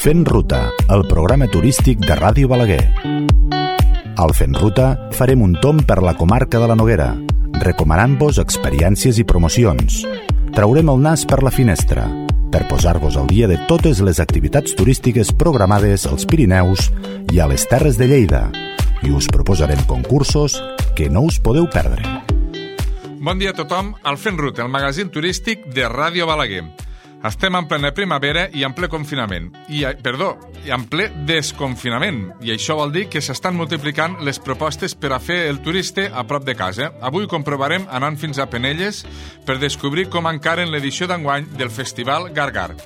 Fent Ruta, el programa turístic de Ràdio Balaguer. Al Fent Ruta farem un tomb per la comarca de la Noguera, recomanant-vos experiències i promocions. Traurem el nas per la finestra, per posar-vos al dia de totes les activitats turístiques programades als Pirineus i a les Terres de Lleida, i us proposarem concursos que no us podeu perdre. Bon dia a tothom al Fent Ruta, el magazín turístic de Ràdio Balaguer. Estem en plena primavera i en ple confinament. En ple desconfinament. I això vol dir que s'estan multiplicant les propostes per a fer el turista a prop de casa. Avui comprovarem anant fins a Penelles per descobrir com encaren l'edició d'enguany del Festival Gargar.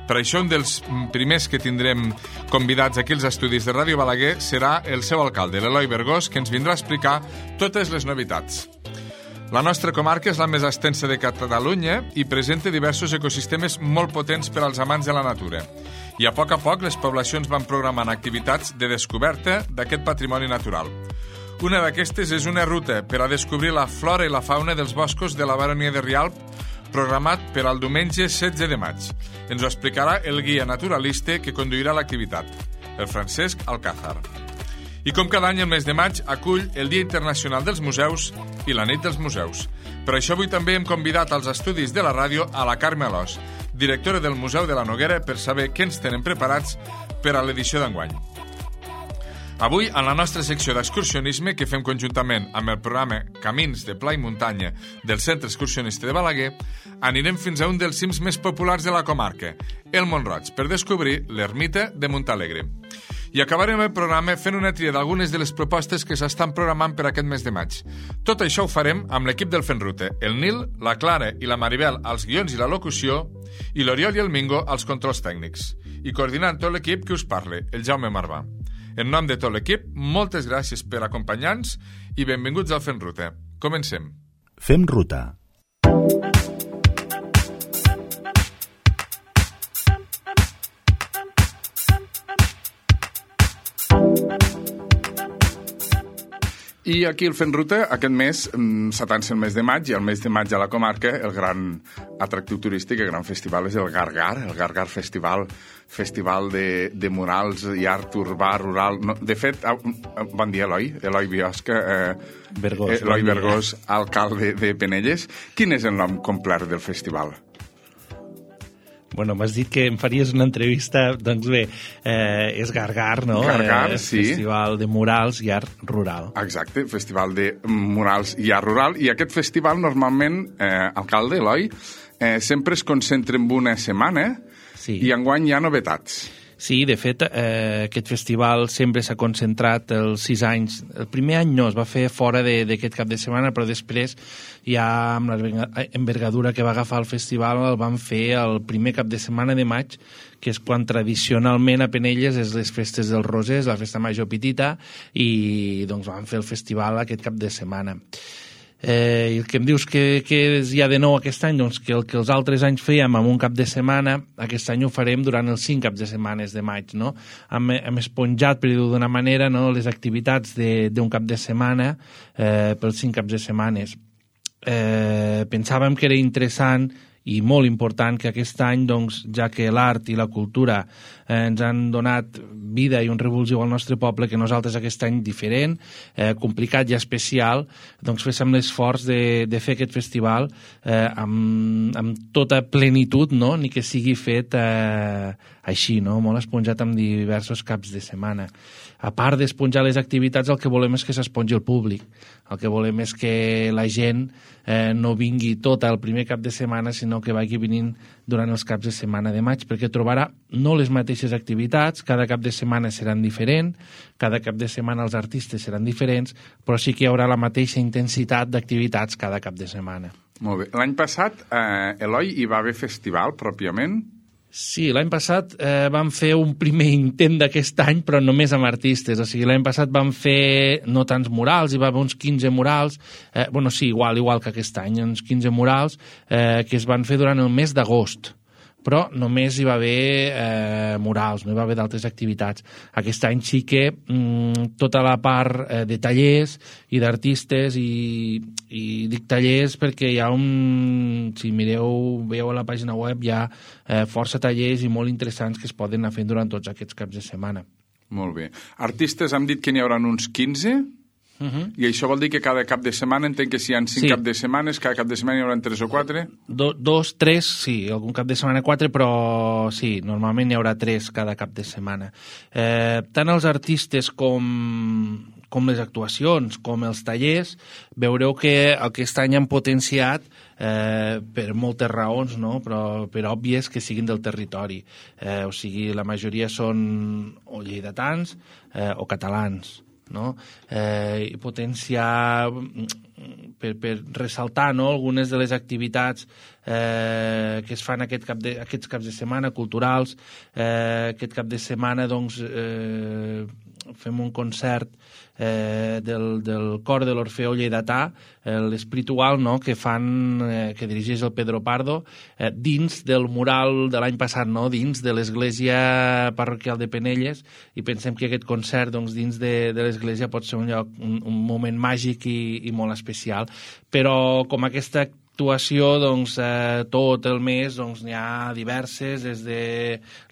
Per això un dels primers que tindrem convidats aquí als estudis de Ràdio Balaguer serà el seu alcalde, l'Eloi Bergós, que ens vindrà a explicar totes les novetats. La nostra comarca és la més extensa de Catalunya i presenta diversos ecosistemes molt potents per als amants de la natura. I a poc les poblacions van programant activitats de descoberta d'aquest patrimoni natural. Una d'aquestes és una ruta per a descobrir la flora i la fauna dels boscos de la Baronia de Rialb, programat per al diumenge 16 de maig. Ens ho explicarà el guia naturalista que conduirà l'activitat, el Francesc Alcázar. I com cada any el mes de maig acull el Dia Internacional dels Museus i la Nit dels Museus. Per això avui també hem convidat als estudis de la ràdio a la Carme Alòs, directora del Museu de la Noguera, per saber què ens tenen preparats per a l'edició d'enguany. Avui, en la nostra secció d'excursionisme, que fem conjuntament amb el programa Camins de Pla i Muntanya del Centre Excursionista de Balaguer, anirem fins a un dels cims més populars de la comarca, el Mont-roig, per descobrir l'ermita de Montalegre. I acabarem el programa fent una tria d'algunes de les propostes que s'estan programant per aquest mes de maig. Tot això ho farem amb l'equip del Fent Ruta, el Nil, la Clara i la Maribel als guions i la locució, i l'Oriol i el Mingo als controls tècnics. I coordinant tot l'equip que us parle, el Jaume Marvà. En nom de tot l'equip, moltes gràcies per acompanyar-nos i benvinguts al Fent Ruta. Comencem. Fem Ruta. I aquí el Fent Ruta, aquest mes, s'atansa el mes de maig, i el mes de maig a la comarca el gran atractiu turístic, el gran festival és el Gargar Festival de murals i art urbà, rural. No, de fet, bon dia, Eloi Biosca, Eloi Bergós, alcalde de Penelles. Quin és el nom complet del festival? Bueno, m'has dit que em faries una entrevista, doncs bé, és Gargar, no? Gargar, sí. Festival de murals i art rural. Exacte, festival de murals i art rural. I aquest festival, normalment, alcalde, Eloi, sempre es concentra en una setmana, sí. I enguany hi ha novetats. Sí, de fet, aquest festival sempre s'ha concentrat els 6 anys. El primer any no, es va fer fora d'aquest cap de setmana, però després, ja amb l'envergadura que va agafar el festival, el van fer el primer cap de setmana de maig, que és quan tradicionalment a Penelles és les festes dels Rosers, la festa major petita, i doncs van fer el festival aquest cap de setmana. I el que em dius que hi ha de nou aquest any, doncs que el que els altres anys fèiem en un cap de setmana, aquest any ho farem durant els 5 caps de setmanes de maig, no? Hem esponjat, per dir-ho d'una manera, no, les activitats d'un cap de setmana pels 5 caps de setmanes. Pensàvem que era interessant i molt important que aquest any, doncs, ja que l'art i la cultura ens han donat vida i un revulsiu al nostre poble, que nosaltres aquest any diferent, complicat i especial, doncs féssim l'esforç de fer aquest festival amb tota plenitud, no? Ni que sigui fet així, no? Molt esponjat amb diversos caps de setmana. A part d'esponjar les activitats, el que volem és que s'espongi el públic. El que volem és que la gent no vingui tot el primer cap de setmana, sinó que vagi venint durant els caps de setmana de maig, perquè trobarà no les mateixes activitats, cada cap de setmana seran diferents, cada cap de setmana els artistes seran diferents, però sí que hi haurà la mateixa intensitat d'activitats cada cap de setmana. Molt bé. L'any passat, Eloi, hi va haver festival pròpiament? Sí, l'any passat vam fer un primer intent d'aquest any, però només amb artistes. O sigui, l'any passat vam fer no tants murals, hi va haver uns 15 murals, igual que aquest any, uns 15 murals que es van fer durant el mes d'agost. però només hi va haver murals, no hi va haver d'altres activitats. Aquest any sí que tota la part de tallers i d'artistes, i dic tallers perquè hi ha si veieu a la pàgina web, hi ha força tallers i molt interessants que es poden anar fent durant tots aquests caps de setmana. Molt bé. Artistes hem dit que n'hi haurà uns 15... I això vol dir que cada cap de setmana, entenc que si hi ha 5 cap de setmanes, cada cap de setmana hi haurà 3 o 4? 2, 3, sí, algun cap de setmana 4, però sí, normalment hi haurà 3 cada cap de setmana. Tant els artistes com les actuacions, com els tallers, veureu que aquest any han potenciat per moltes raons, no? Però per òbvies que siguin del territori. O sigui, la majoria són o lleidatans o catalans, no? I potenciar per ressaltar, no, algunes de les activitats que es fan aquests caps de setmana culturals. Aquest cap de setmana doncs fem un concert del cor de l'Orfeó Lleidatà, l'Espiritual, no?, que dirigeix el Pedro Pardo, dins del mural de l'any passat, no?, dins de l'església parroquial de Penelles, i pensem que aquest concert, doncs, dins de l'església pot ser un moment màgic i molt especial. Però com aquesta actuació, doncs, tot el mes n'hi ha diverses, des de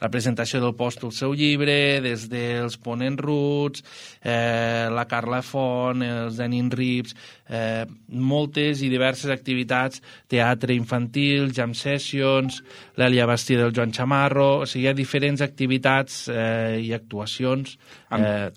la presentació del Post el seu llibre, des dels Ponent Roots, la Carla Font, els Denin Rips, moltes i diverses activitats, teatre infantil, jam sessions, l'Èlia Bastida del Joan Chamarro, o sigui, hi ha diferents activitats i actuacions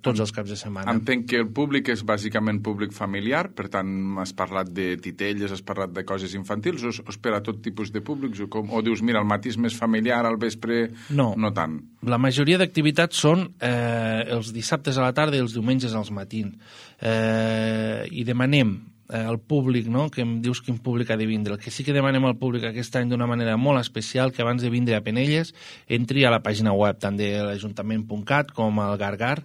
tots els caps de setmana. Entenc que el públic és bàsicament públic familiar, per tant, has parlat de titelles, has parlat de coses infantils, o es per a tot tipus de públics? O dius, mira, el matí és més familiar, al vespre no tant? La majoria d'activitats són els dissabtes a la tarda i els diumenges als matins. I demanem al públic, no?, que em dius quin públic ha de vindre. El que sí que demanem al públic aquest any d'una manera molt especial, que abans de vindre a Penelles entri a la pàgina web tant de l'ajuntament.cat com al Gargar,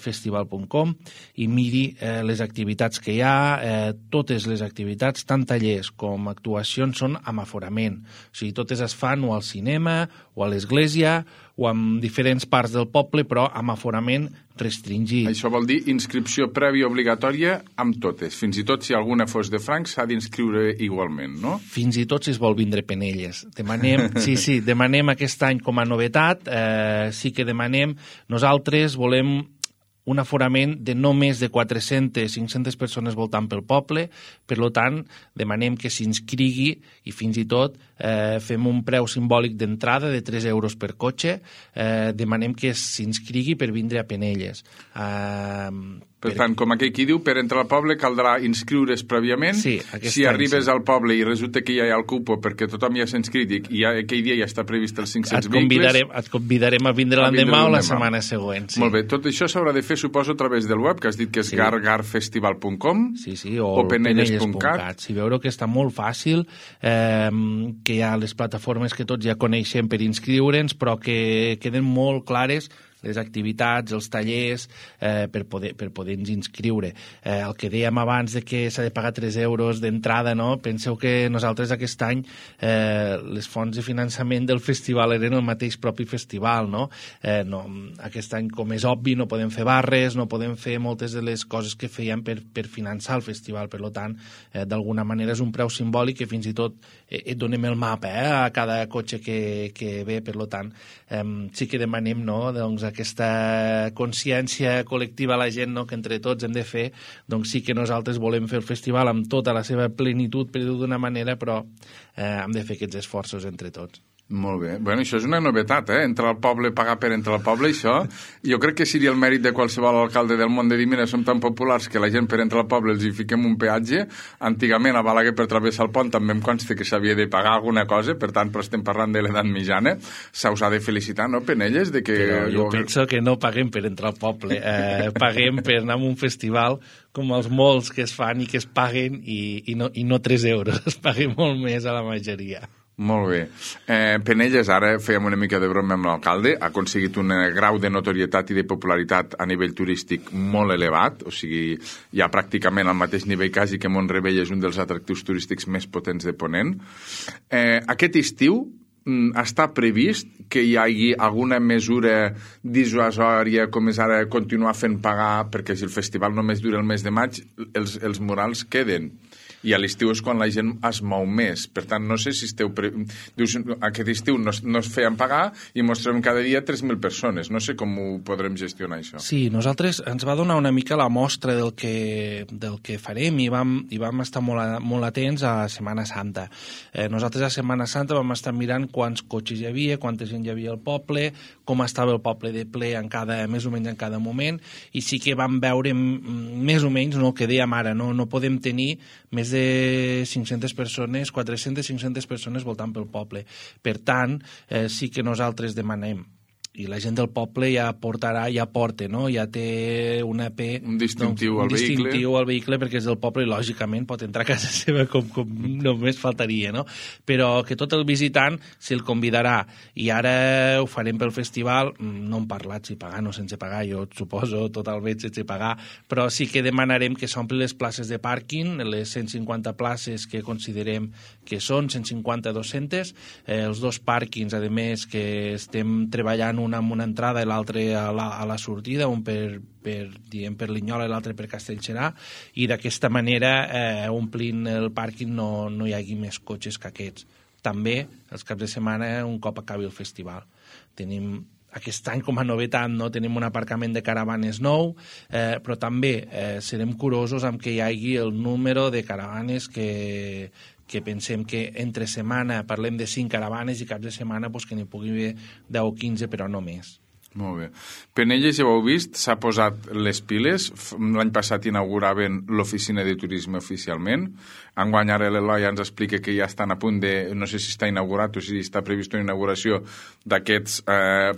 festival.com, i miri les activitats que hi ha. Totes les activitats, tant tallers com actuacions, són amb aforament. O sigui, totes es fan o al cinema o a l'església o en diferents parts del poble, però amb aforament restringit. Això vol dir inscripció prèvia obligatòria amb totes. Fins i tot si alguna fos de francs s'ha d'inscriure igualment, no? Fins i tot si es vol vindre Penelles. Demanem aquest any com a novetat, sí que demanem, nosaltres volem un aforament de no més de 400-500 persones voltant pel poble, per tant, demanem que s'inscrigui i fins i tot fem un preu simbòlic d'entrada de 3 euros per cotxe, demanem que s'inscrigui per vindre a Penelles. Per tant, com aquell qui diu, per entrar al poble caldrà inscriure's prèviament. Sí, si arribes al poble i resulta que ja hi ha el cupo perquè tothom ja s'ha inscrit i aquell dia ja està previst els 500 vehicles... Et convidarem a vindre l'endemà o la setmana següent. Sí. Molt bé, tot això s'haurà de fer, suposo, a través del web, que has dit que és gargarfestival.com o penelles.cat. Si veureu que està molt fàcil, que hi ha les plataformes que tots ja coneixem per inscriure'ns, però que queden molt clares les activitats, els tallers, per poder-nos inscriure. El que dèiem abans de que s'ha de pagar 3 euros d'entrada, no? Penseu que nosaltres aquest any les fonts de finançament del festival eren el mateix propi festival, no? Aquest any, com és obvi, no podem fer barres, no podem fer moltes de les coses que fèiem per finançar el festival. Per tant, d'alguna manera és un preu simbòlic que fins i tot et donem el mapa a cada cotxe que ve. Per tant, sí que demanem, no?, doncs, aquesta consciència col·lectiva a la gent, no?, que entre tots hem de fer. Doncs sí que nosaltres volem fer el festival amb tota la seva plenitud, per dir-ho d'una manera, però hem de fer aquests esforços entre tots. Molt bé. Bueno, això és una novetat, entrar al poble, pagar per entrar al poble, això. Jo crec que seria el mèrit de qualsevol alcalde del món de dir, mira, som tan populars que la gent per entrar al poble els hi fiquem un peatge. Antigament a Balaguer per travessar el pont també em consta que s'havia de pagar alguna cosa, per tant, però estem parlant de l'edat mitjana. Se us ha de felicitar, no, Penelles? Però jo penso que no paguem per entrar al poble, paguem per anar a un festival com els molts que es fan i que es paguen i no 3 euros, es paguen molt més a la majoria. Molt bé. Penelles, ara fèiem una mica de broma amb l'alcalde, ha aconseguit un grau de notorietat i de popularitat a nivell turístic molt elevat, o sigui, hi ha pràcticament al mateix nivell quasi que Mont-rebei és un dels atractius turístics més potents de Ponent. Aquest estiu està previst que hi hagi alguna mesura dissuasòria, com és ara continuar fent pagar, perquè si el festival només dura el mes de maig, els murals queden. I a l'estiu és quan la gent es mou més. Per tant, no sé si dius, aquest estiu no es feien pagar i mostrem cada dia 3.000 persones. No sé com ho podrem gestionar, això. Sí, nosaltres ens va donar una mica la mostra del que farem i vam estar molt atents a Setmana Santa. Nosaltres a Setmana Santa vam estar mirant quants cotxes hi havia, quanta gent hi havia al poble, com estava el poble de ple més o menys en cada moment, i sí que vam veure més o menys el que dèiem ara, no podem tenir més de 500 persones, 400-500 persones voltant pel poble. Per tant, sí que nosaltres demanem, i la gent del poble ja porta, no? Ja té un distintiu al vehicle perquè és del poble i lògicament pot entrar a casa seva com només faltaria, no? Però que tot el visitant se'l convidarà, i ara ho farem pel festival, no hem parlat si pagar o sense pagar, jo suposo totalment sense pagar, però sí que demanarem que s'ompli les places de pàrquing, les 150 places que considerem que són, 150-200, els dos pàrquings, a més, que estem treballant un amb una entrada i l'altre a la sortida, un per Linyola i l'altre per Castellserà, i d'aquesta manera, omplint el pàrquing, no hi hagi més cotxes que aquests. També, els caps de setmana, un cop acabi el festival. Tenim aquest any, com a novetat, no tenim un aparcament de caravanes nou, però també serem curosos amb que hi hagi el número de caravanes que pensem que entre setmana parlem de 5 caravanes i caps de setmana que n'hi pugui haver 10 o 15, però no més. Molt bé. Penelles, ja ho heu vist, s'ha posat les piles. L'any passat inauguraven l'oficina de turisme oficialment. Enguany ara l'Eloi ens explica que ja estan a punt de, no sé si està inaugurat o si està previst una inauguració d'aquests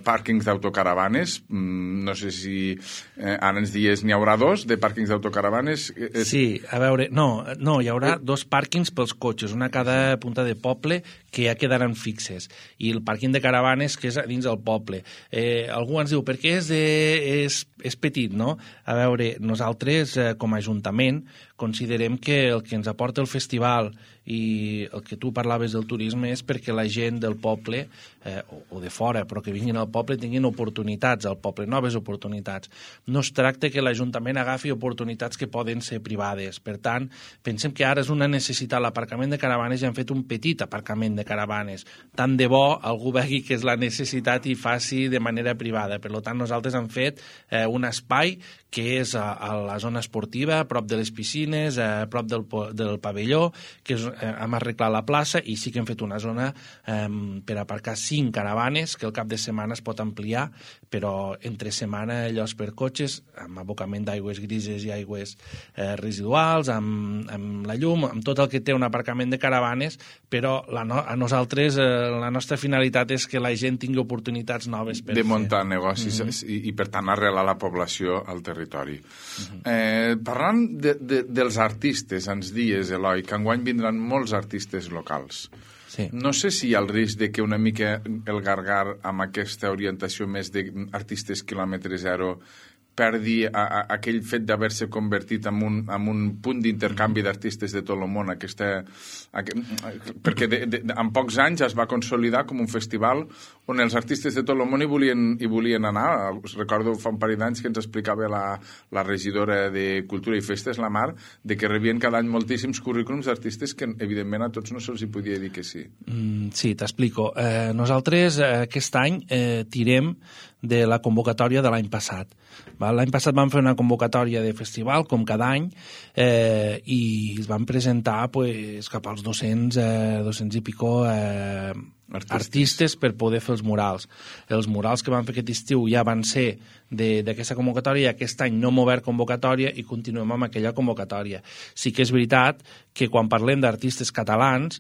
pàrquings d'autocaravanes. No sé si ara ens dies n'hi haurà 2 de pàrquings d'autocaravanes. Sí, a veure, no, hi haurà 2 pàrquings pels cotxes, una a cada punta de poble, que ja quedaran fixes, i el pàrquing de caravanes que és dins del poble. Algú ens diu, per què és petit, no? A veure, nosaltres, com a Ajuntament, considerem que el que ens aporta el festival i el que tu parlaves del turisme és perquè la gent del poble, o de fora, però que vinguin al poble, tinguin oportunitats al poble, noves oportunitats. No es tracta que l'Ajuntament agafi oportunitats que poden ser privades. Per tant, pensem que ara és una necessitat l'aparcament de caravanes i han fet un petit aparcament de caravanes. Tant de bo algú vegi que és la necessitat i faci de manera privada. Per tant, nosaltres hem fet un espai que és a la zona esportiva, a prop de les piscines, a prop del pavelló, que hem arreglat la plaça, i sí que hem fet una zona per aparcar 5 caravanes, que el cap de setmana es pot ampliar, però entre setmana llocs per cotxes, amb abocament d'aigües grises i aigües residuals, amb la llum, amb tot el que té un aparcament de caravanes, però a nosaltres la nostra finalitat és que la gent tingui oportunitats noves per de muntar negocis i per tant arrelar la població al territori. Parlant dels artistes, ens dies, Eloi, que enguany vindran molts artistes locals. Sí. No sé si hi ha el risc de que una mica el Gargar, amb aquesta orientació més d'artistes quilòmetre zero, perdi aquell fet d'haver-se convertit en un punt d'intercanvi d'artistes de tot el món, perquè en pocs anys es va consolidar com un festival on els artistes de tot el món hi volien anar. Recordo fa un parell d'anys que ens explicava la regidora de Cultura i Festes, la Mar, de que rebien cada any moltíssims currículums d'artistes que evidentment a tots no se'ls hi podia dir que sí. Sí, t'explico. Nosaltres aquest any tirem de la convocatòria de l'any passat. L'any passat vam fer una convocatòria de festival, com cada any, i es van presentar cap als 200 i pico artistes per poder fer els murals. Els murals que van fer aquest estiu ja van ser d'aquesta convocatòria, i aquest any no hem obert convocatòria i continuem amb aquella convocatòria. Sí que és veritat que quan parlem d'artistes catalans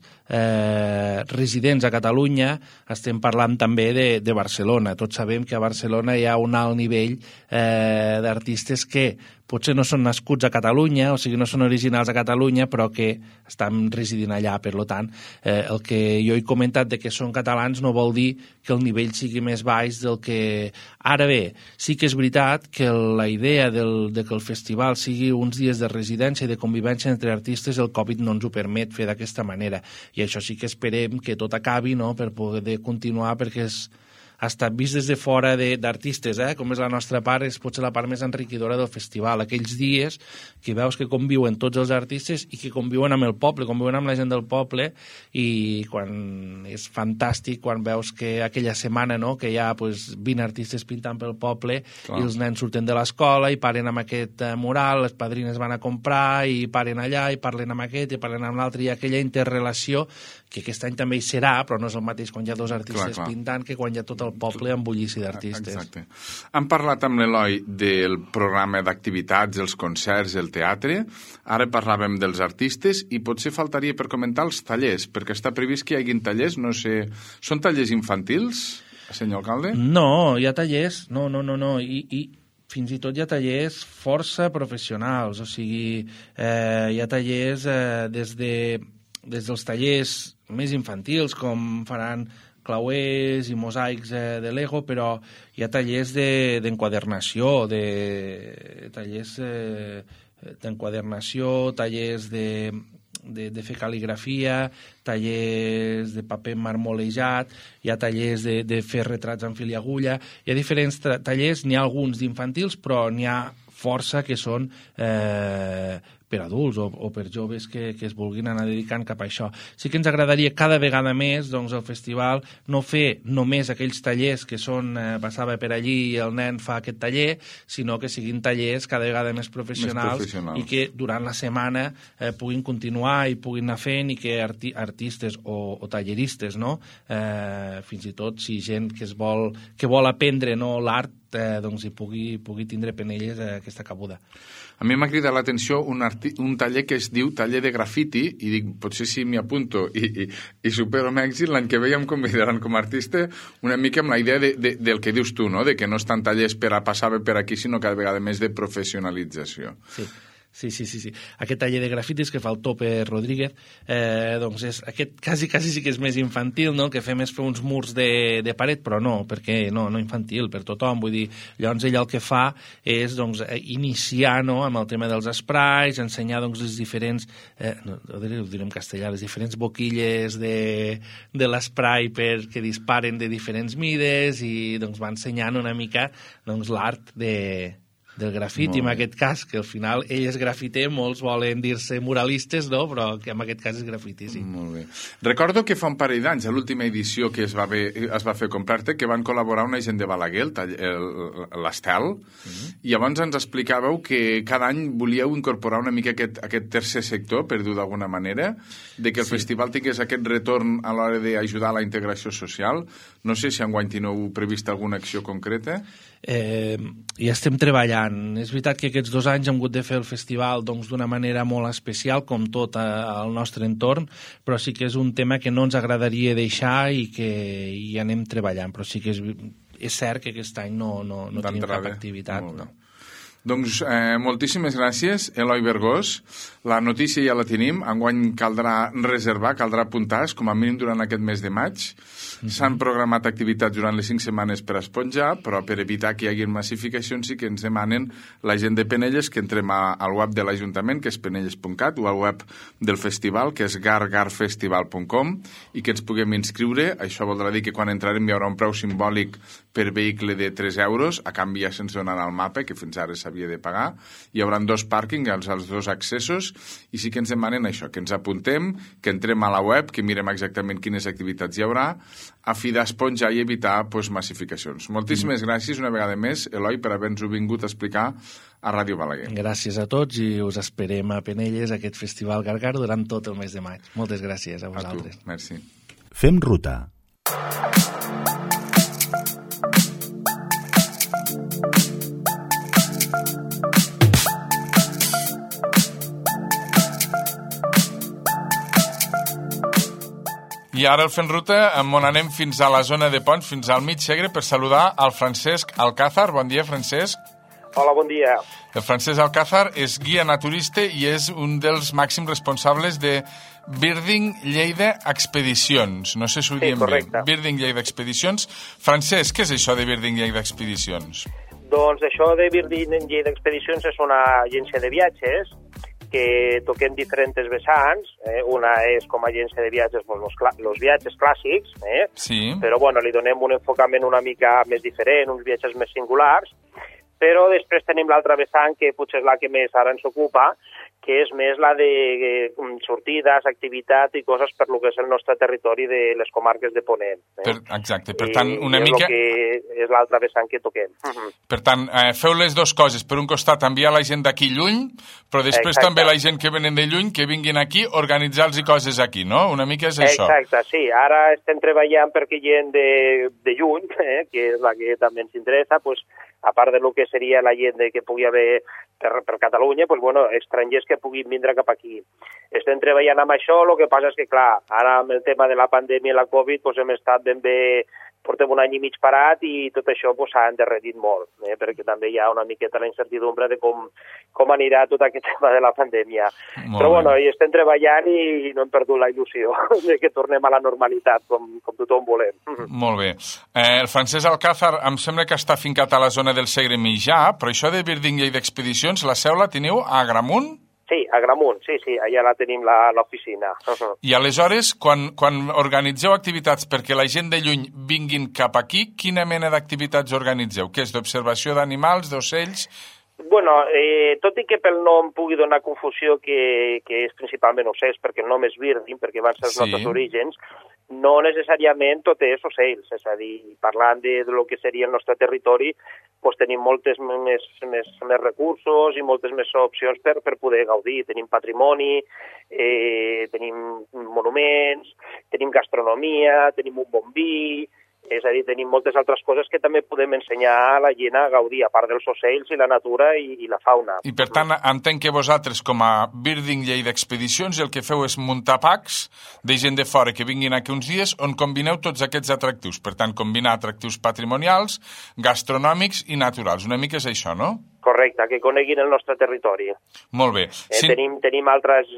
residents a Catalunya estem parlant també de Barcelona. Tots sabem que a Barcelona hi ha un alt nivell d'artistes que potser no són nascuts a Catalunya, o sigui, no són originals a Catalunya, però que estan residint allà. Per tant, el que jo he comentat de que són catalans no vol dir que el nivell sigui més baix del que... Ara bé, sí que és veritat que la idea de que el festival sigui uns dies de residència i de convivència entre artistes, el Covid no ens ho permet fer d'aquesta manera. I això sí que esperem que tot acabi, no?, per poder continuar, perquè ha estat vist des de fora d'artistes, com és la nostra part, és potser la part més enriquidora del festival. Aquells dies que veus que conviuen tots els artistes i que conviuen amb el poble, conviuen amb la gent del poble, i quan és fantàstic quan veus que aquella setmana, no?, que hi ha 20 artistes pintant pel poble. Clar. I els nens surten de l'escola i paren amb aquest mural, les padrines van a comprar i paren allà i parlen amb aquest i parlen amb l'altre, i aquella interrelació que aquest any també hi serà, però no és el mateix quan hi ha dos artistes pintant que quan hi ha tot el poble amb bullici d'artistes. Exacte. Hem parlat amb l'Eloi del programa d'activitats, els concerts, el teatre. Ara parlàvem dels artistes i potser faltaria per comentar els tallers, perquè està previst que hi hagin tallers, no sé... Són tallers infantils, senyor alcalde? No, hi ha tallers, no. I fins i tot hi ha tallers força professionals, o sigui, hi ha tallers des dels tallers més infantils, com faran clauers i mosaics de Lego, però hi ha tallers d'enquadernació, tallers d'enquadernació, tallers de fer cal·ligrafia, tallers de paper marmolejat, hi ha tallers de fer retrats amb fil i agulla, hi ha diferents tallers, n'hi ha alguns d'infantils, però n'hi ha força que són per adults o per joves que es vulguin anar dedicant cap a això. Sí que ens agradaria cada vegada més, doncs, el festival no fer només aquells tallers que són passava per allí i el nen fa aquest taller, sinó que siguin tallers cada vegada més professionals i que durant la setmana puguin continuar i puguin anar fent, i que artistes o talleristes, no? Fins i tot si gent que vol aprendre, no, l'art, doncs hi pugui tindre Penelles aquesta cabuda. A mi m'ha cridat l'atenció un taller que es diu taller de grafiti, i dic, potser si m'hi apunto i supero amb èxit, l'any que ve ja em convidaran com a artista una mica amb la idea del que dius tu, no?, de que no estan tallers per a passar per aquí, sinó cada vegada més de professionalització. Sí. Aquest taller de grafitis que fa el Tope Rodríguez, doncs aquest quasi sí que és més infantil, no? El que fem és fer uns murs de paret, però no, perquè no infantil, per tothom. Vull dir, llavors ell el que fa és iniciar, no?, amb el tema dels sprays, ensenyar les diferents, ho diré en castellà, les diferents boquilles de l'spray que disparen de diferents mides, i va ensenyant una mica l'art del grafiti, en aquest cas, que al final ell és grafiter, molts volen dir-se muralistes, no?, però que en aquest cas és grafiti, sí. Molt bé. Recordo que fa un parell d'anys, a l'última edició que es va fer comprar-te, que van col·laborar una gent de Balaguer, l'Estel, i llavors ens explicàveu que cada any volíeu incorporar una mica aquest tercer sector, per dir-ho d'alguna manera, de que el festival tingués aquest retorn a l'hora d'ajudar a la integració social. No sé si enguany teniu previst alguna acció concreta. I estem treballant. És veritat que aquests 2 anys hem hagut de fer el festival d'una manera molt especial, com tot al nostre entorn, però sí que és un tema que no ens agradaria deixar i que hi anem treballant, però sí que és cert que aquest any no tenim cap activitat. No. Doncs moltíssimes gràcies, Eloi Bergós. La notícia ja la tenim. Enguany caldrà reservar, caldrà apuntar-se, com a mínim durant aquest mes de maig. S'han programat activitats durant les 5 setmanes per esponjar, però per evitar que hi hagi massificacions sí que ens demanen la gent de Penelles que entrem al web de l'Ajuntament, que és penelles.cat, o al web del festival, que és gargarfestival.com, i que ens puguem inscriure. Això voldrà dir que quan entrarem hi haurà un preu simbòlic per vehicle de 3 euros, a canvi ja se'ns donarà el mapa, que fins ara s'havia de pagar. Hi haurà 2 pàrquings, els 2 accessos, i sí que ens demanen això, que ens apuntem, que entrem a la web, que mirem exactament quines activitats hi haurà, a fi d'esponjar i evitar massificacions. Moltíssimes gràcies una vegada més, Eloi, per haver-nos-ho vingut a explicar a Ràdio Balaguer. Gràcies a tots i us esperem a Penelles, a aquest Festival Gargar, durant tot el mes de maig. Moltes gràcies a vosaltres. A tu, merci. Fem ruta. I ara el Fent Ruta, on anem fins a la zona de Ponts, fins al mig Segre, per saludar al Francesc Alcázar. Bon dia, Francesc. Hola, bon dia. El Francesc Alcázar és guia naturista i és un dels màxims responsables de Birding Lleida Expedicions. No sé si ho diem bé. Birding Lleida Expedicions. Francesc, què és això de Birding Lleida Expedicions? Doncs això de Birding Lleida Expedicions és una agència de viatges que toquem diferents vessants. Una és com a agència de viatges els viatges clàssics, Sí. Però bueno, li donem un enfocament una mica més diferent, uns viatges més singulars. Però després tenim l'altra vessant, que potser és la que més ara ens ocupa, que és més la de sortides, activitat i coses per lo que és el nostre territori de les comarques de Ponent. Exacte, per tant, una mica... És l'altra vessant que toquem. Per tant, feu les dues coses. Per un costat, enviar la gent d'aquí lluny, però després també la gent que venen de lluny, que vinguin aquí, organitzar-los coses aquí, no? Una mica és això. Exacte, sí. Ara estem treballant perquè gent de lluny, que és la que també ens interessa, pues, a part de lo que seria la gent que pugui haver per Catalunya, pues, bueno, estrangers que puguin vindre cap aquí. Estem treballant amb això, el que passa és que, clar, ara amb el tema de la pandèmia i la Covid pues, hem estat ben bé, portem un any i mig parat i tot això pues, s'ha endarrerit molt, perquè també hi ha una miqueta la incertidumbre de com anirà tot aquest tema de la pandèmia. Però bueno, hi estem treballant i no hem perdut la il·lusió de que tornem a la normalitat, com tothom volem. Molt bé. El Francesc Alcázar em sembla que està fincat a la zona del Segre Mitjà, però això de Birding Lleida Expedicions, la seu la teniu a Agramunt? Sí, a Agramunt, sí, allà la tenim l'oficina. I aleshores, quan organitzeu activitats perquè la gent de lluny vinguin cap aquí, quina mena d'activitats organitzeu? Què és, d'observació d'animals, d'ocells? Bueno, tot i que pel nom pugui donar confusió que és principalment ocells, perquè el nom és Birding, perquè van ser els nostres orígens, no necessàriament tot és ocells, és a dir, parlant de lo que seria el nostre territori, doncs tenim moltes més recursos i moltes més opcions per poder gaudir. Tenim patrimoni, tenim monuments, tenim gastronomia, tenim un bon vi, és a dir, tenim moltes altres coses que també podem ensenyar a la gent a gaudir, a part dels ocells i la natura i la fauna. I per tant, entenc que vosaltres, com a Birding Lleida Expedicions, el que feu és muntar packs de gent de fora que vinguin aquí uns dies on combineu tots aquests atractius. Per tant, combinar atractius patrimonials, gastronòmics i naturals. Una mica és això, no? Correcte, que coneguin el nostre territori. Molt bé. Tenim altres,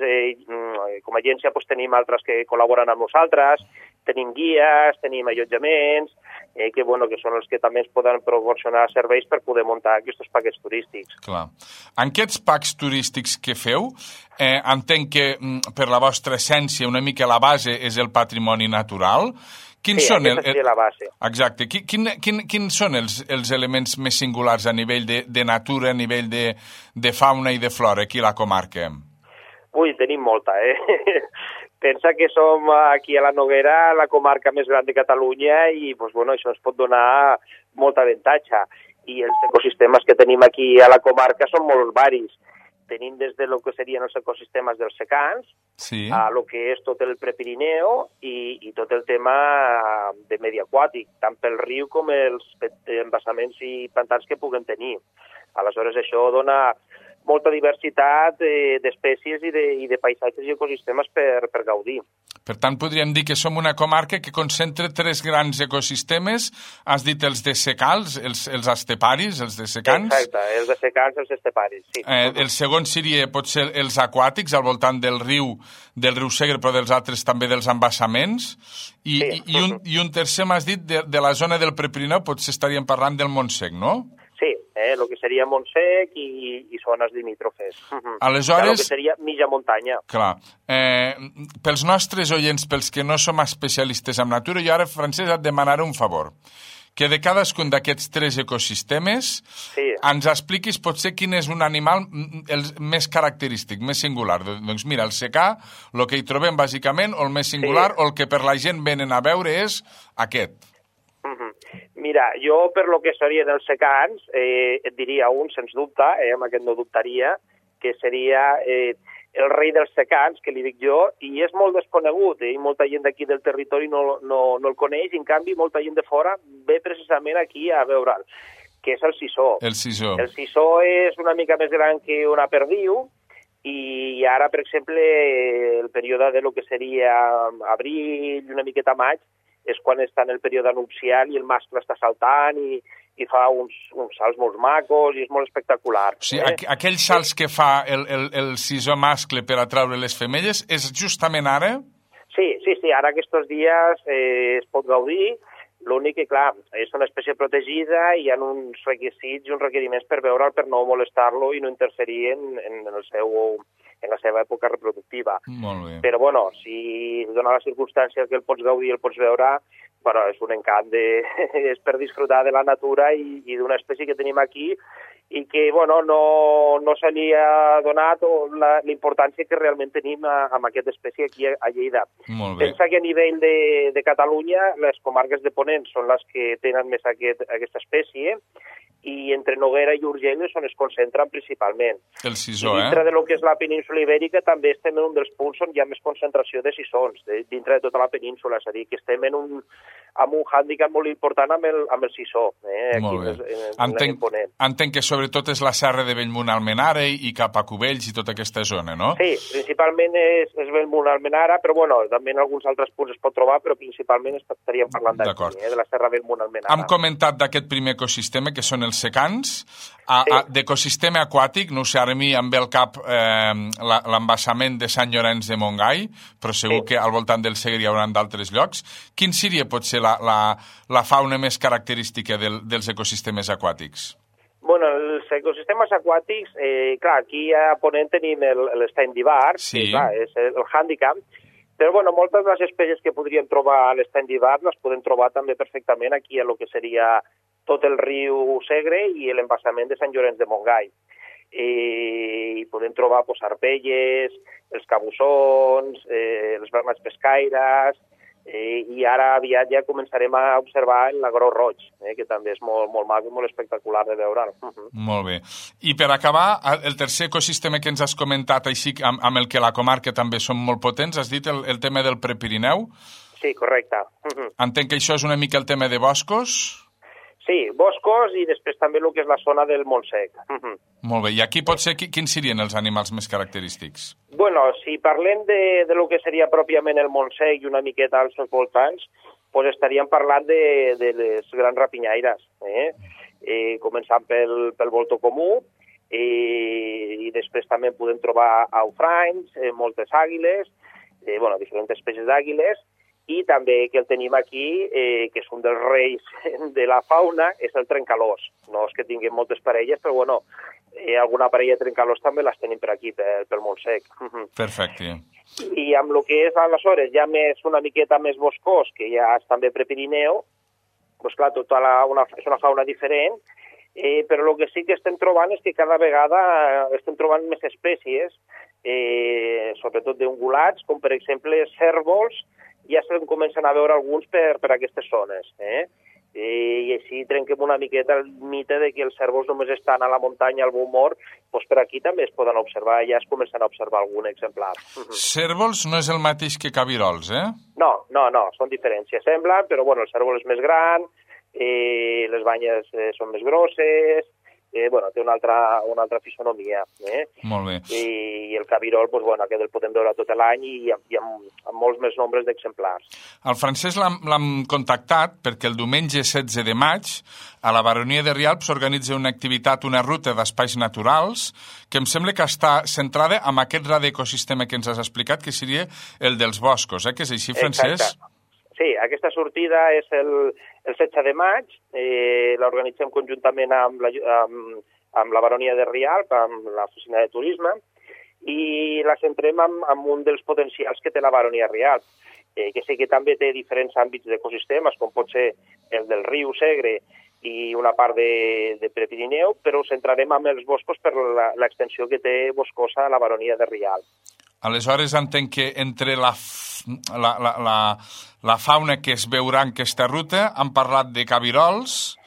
com a agència tenim altres que col·laboren amb nosaltres, tenim guies, tenim allotjaments, que són els que també ens poden proporcionar serveis per poder muntar aquests paquets turístics. Clar. En aquests packs turístics que feu, entenc que per la vostra essència una mica la base és el patrimoni natural. Aquesta seria la base. Exacte. Quins són els elements més singulars a nivell de natura, a nivell de fauna i de flora aquí a la comarca? Ui, tenim molta, Pensa que som aquí a la Noguera la comarca més gran de Catalunya i això ens pot donar molt avantatge. I els ecosistemes que tenim aquí a la comarca són molt varis. Tenim des de lo que serien els ecosistemes dels secans, a lo que és tot el Prepirineu i tot el tema de medi aquàtic, tant pel riu com els embassaments i pantans que puguem tenir. Aleshores, això dona molta diversitat d'espècies i de paisatges i ecosistemes per gaudir. Per tant, podríem dir que som una comarca que concentra tres grans ecosistemes. Has dit els de secals, els esteparis, els de secans. Exacte, els de secans, els esteparis, sí. El segon seria potser els aquàtics, al voltant del riu Segre, però dels altres també dels embassaments. I un tercer, m'has dit, de la zona del Prepirineu, potser estaríem parlant del Montsec, no? Sí, el que seria Montsec i zones limítrofes. Aleshores... El que seria mitja muntanya. Clar. Pels nostres oients, pels que no som especialistes en natura, jo ara, Francesc, et demanaré un favor. Que de cadascun d'aquests tres ecosistemes ens expliquis potser quin és un animal més característic, més singular. Doncs mira, el secà, el que hi trobem bàsicament, o el més singular, o el que per la gent venen a veure és aquest. Mira, jo per lo que serien els secans et diria un, sens dubte, amb aquest no dubtaria, que seria el rei dels secans, que li dic jo, i és molt desconegut, i molta gent d'aquí del territori no el coneix, i en canvi molta gent de fora ve precisament aquí a veure'l, que és el sisó. El sisó. El sisó és una mica més gran que una perdiu, i ara, per exemple, el període de lo que seria abril i una miqueta maig, és quan està en el període nupcial i el mascle està saltant i i fa uns salts molt macos i és molt espectacular. O sigui, aquells salts que fa el sisó mascle per atraure les femelles és justament ara? Sí, ara aquests dies es pot gaudir, l'únic que, clar, és una espècie protegida i hi ha uns requisits i uns requeriments per veure'l, per no molestar-lo i no interferir en la seva època reproductiva. Molt bé. Però, bueno, si dona la circumstància que el pots gaudir i el pots veure, bueno, és un encant, és per disfrutar de la natura i d'una espècie que tenim aquí i que, bueno, no se li ha donat la importància que realment tenim amb aquesta espècie aquí a Lleida. Molt bé. Pensa que a nivell de Catalunya, les comarques de Ponent són les que tenen més aquesta espècie i entre Noguera i Urgell és on es concentren principalment. El sisó, I dintre de lo que és la península ibèrica també estem en un dels punts on hi ha més concentració de sisons, dintre de tota la península, és a dir, que estem amb un hàndicap molt important amb el sisó. Molt bé. Entenc que sobretot és la serra de Bellmunt-Almenara i cap a Cubells i tota aquesta zona, no? Sí, principalment és Bellmunt-Almenara, però bueno, també en alguns altres punts es pot trobar, però principalment estaríem parlant d'aquí, de la serra Bellmunt-Almenara. Hem comentat d'aquest primer ecosistema, que són els secans. D'ecosistema aquàtic, no sé, ara a mi em ve al cap l'embassament de Sant Llorenç de Montgai, però segur que al voltant del Segre hi haurà d'altres llocs. Quin seria potser la fauna més característica dels ecosistemes aquàtics? Bueno, els ecosistemes aquàtics, clar, aquí a Ponent tenim l'estany d'Ibar, que clar, és el hàndicap, però bueno, moltes de les espècies que podríem trobar a l'estany d'Ibar les podem trobar també perfectament aquí a lo que seria tot el riu Segre i l'embassament de Sant Llorenç de Montgai. I podem trobar arpelles, els cabussons, els bernats pescaires, i ara aviat ja començarem a observar l'agró roig, que també és molt, molt maco i molt espectacular de veure'l. Molt bé. I per acabar, el tercer ecosistema que ens has comentat, així amb el que la comarca també són molt potents, has dit el tema del Prepirineu? Sí, correcte. Entenc que això és una mica el tema de boscos? Sí, boscos i després també el que és la zona del Montsec. Molt bé, i aquí potser quins serien els animals més característics? Bueno, si parlem de lo que seria pròpiament el Montsec i una miqueta als seus voltants, doncs estaríem parlant de les grans rapinyaires, començant pel voltó comú, i després també podem trobar aufranys, moltes àguiles, diferents espècies d'àguiles, i també que el tenim aquí, que és un dels reis de la fauna, és el trencalós. No és que tinguem moltes parelles, però bueno, alguna parella de trencalós també les tenim per aquí, pel Montsec. Perfecte. I amb el que és aleshores ja una miqueta més boscós, que ja és també Prepirineu, doncs clar, és una fauna diferent, però el que sí que estem trobant és que cada vegada estem trobant més espècies, sobretot d'ungulats, com per exemple cérvols, ja se'n comencen a veure alguns per aquestes zones. I així trenquem una miqueta el mite de que els cérvols només estan a la muntanya, al Beaumont, doncs per aquí també es poden observar, ja es comencen a observar algun exemplar. Cérvols no és el mateix que cabirols, eh? No, són diferents, semblen, però bueno, el cérvol és més gran, les banyes són més grosses, té una altra fisonomia. Molt bé. I el cabirol, aquest el podem veure tot l'any i amb molts més nombres d'exemplars. El Francesc l'hem contactat perquè el diumenge 16 de maig a la Baronia de Rialp s'organitza una activitat, una ruta d'espais naturals que em sembla que està centrada en aquest radioecosistema que ens has explicat, que seria el dels boscos, que és així, Francesc? Exacte. Sí, aquesta sortida és el 16 de maig, l'organitzem conjuntament amb la Baronia de Rialp, amb l'Oficina de Turisme, i la centrem en un dels potencials que té la Baronia de Rialp, que sí que també té diferents àmbits d'ecosistemes, com pot ser el del riu Segre i una part de Prepirineu, però ho centrarem en els boscos per l'extensió que té boscosa a la Baronia de Rialp. Aleshores entenc que entre la fauna que es veurà en aquesta ruta han parlat de cabirols,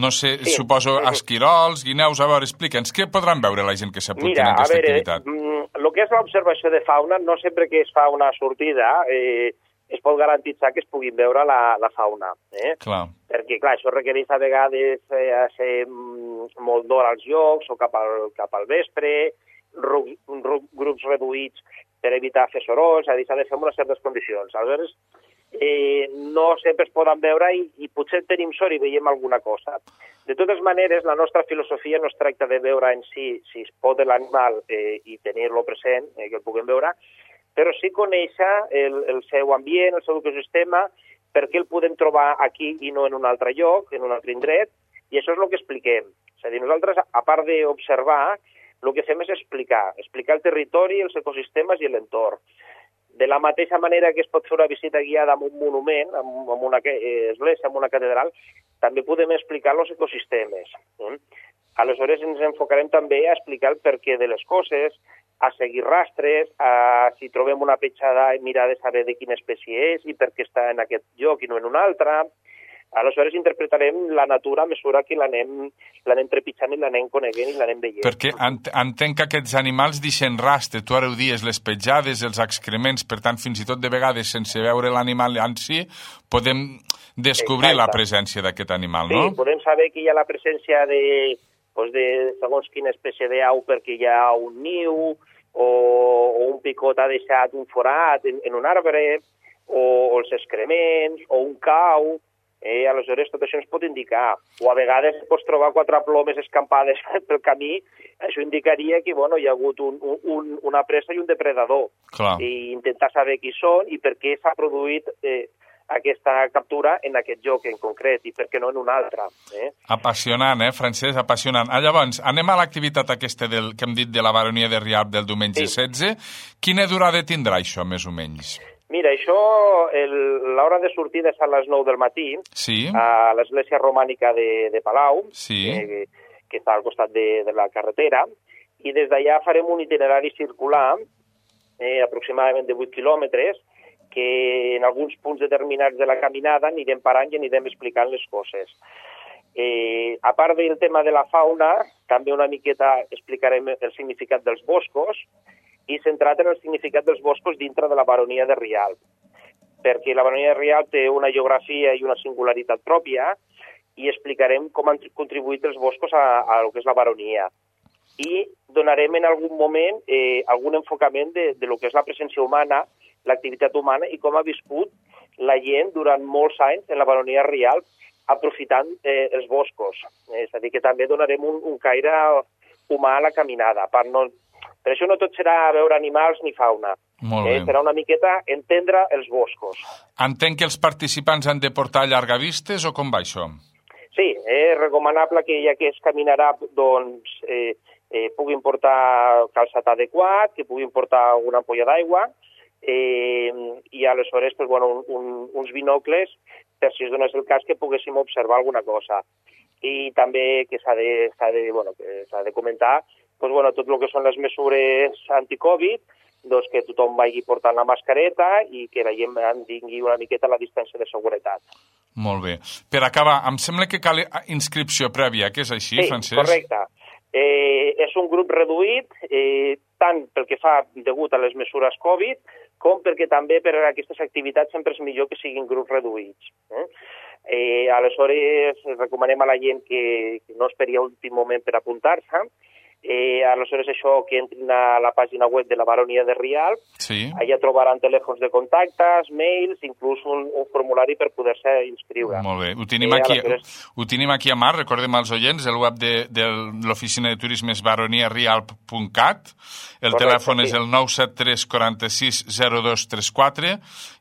no sé, sí, suposo esquirols, guineus. A veure, explica'ns, què podran veure la gent que s'apuntin a aquesta activitat? El que és l'observació de fauna, no sempre que es fa una sortida es pot garantitzar que es puguin veure la fauna. Clar. Perquè, clar, això requereix a vegades ser molt d'hora als llocs o cap al vespre, grups reduïts per evitar fer sorolls, s'ha de fer en unes certes condicions. Aleshores, no sempre es poden veure i potser tenim sort i veiem alguna cosa. De totes maneres, la nostra filosofia no es tracta de veure en si es pot l'animal i tenir-lo present, que el puguem veure, però sí conèixer el seu ambient, el seu ecosistema, per què el podem trobar aquí i no en un altre lloc, en un altre indret, i això és el que expliquem. És a dir, nosaltres, a part d'observar, el que fem és explicar el territori, els ecosistemes i l'entorn. De la mateixa manera que es pot fer una visita guiada amb un monument, amb una església, amb una catedral, també podem explicar els ecosistemes. Aleshores ens enfocarem també a explicar el perquè de les coses, a seguir rastres, a si trobem una petjada i mirar de saber de quina espècie és i per què està en aquest lloc i no en un altre. Aleshores interpretarem la natura a mesura que l'anem trepitjant i l'anem coneguent i l'anem veient. Perquè entenc que aquests animals deixen rastre, tu ara ho dius, les petjades, els excrements, per tant, fins i tot de vegades, sense veure l'animal en si, podem descobrir la presència d'aquest animal, no? Sí, podem saber que hi ha la presència de segons quina espècie d'au perquè hi ha un niu o un picot ha deixat un forat en un arbre o els excrements o un cau. Aleshores tot això ens pot indicar. O a vegades pots trobar 4 plomes escampades pel camí, això indicaria que hi ha hagut una presa i un depredador. Clar. I intentar saber qui són i per què s'ha produït aquesta captura en aquest lloc en concret i per què no en un altre. Apassionant, Francesc, apassionant. Llavors, anem a l'activitat aquesta que hem dit de la baronia de Rialp del diumenge 16. Quina durada tindrà això, més o menys? Mira, això, l'hora de sortida és a les 9 del matí, a l'església romànica de Palau, que està al costat de la carretera, i des d'allà farem un itinerari circular, aproximadament de 8 quilòmetres, que en alguns punts determinats de la caminada anirem parant i anirem explicant les coses. A part del tema de la fauna, també una miqueta explicarem el significat dels boscos, i centrat en el significat dels boscos dintre de la baronia de Rialp, perquè la baronia de Rialp té una geografia i una singularitat pròpia i explicarem com han contribuït els boscos a lo que és la baronia. I donarem en algun moment algun enfocament de lo que és la presència humana, l'activitat humana i com ha viscut la gent durant molts anys en la baronia de Rialp aprofitant els boscos. És a dir, que també donarem un caire humà a la caminada, per això no tot serà veure animals ni fauna. Serà una miqueta entendre els boscos. Entenc que els participants han de portar llargavistes o com va això? Sí, és recomanable que ja que es caminarà, doncs, puguin portar calçat adequat, que puguin portar una ampolla d'aigua i aleshores uns binocles per si es donés el cas que poguéssim observar alguna cosa. I també que s'ha de comentar tot el que són les mesures anti-Covid, doncs que tothom vagi portant la mascareta i que la gent tingui una miqueta la distància de seguretat. Molt bé. Per acabar, em sembla que cal inscripció prèvia, que és així, Francesc? Sí, correcte. És un grup reduït, tant pel que fa degut a les mesures Covid, com perquè també per a aquestes activitats sempre és millor que siguin grups reduïts. Aleshores, recomanem a la gent que no esperi a l'últim moment per apuntar-se. Aleshores, això, que entrin a la pàgina web de la baronia de Rialp, allà trobaran telèfons de contactes, mails, inclús un formulari per poder-se inscriure. Molt bé. Ho tenim aquí a mà, recordem als oients, el web de l'oficina de turisme és baroniarialp.cat, el telèfon és el 973 46 0234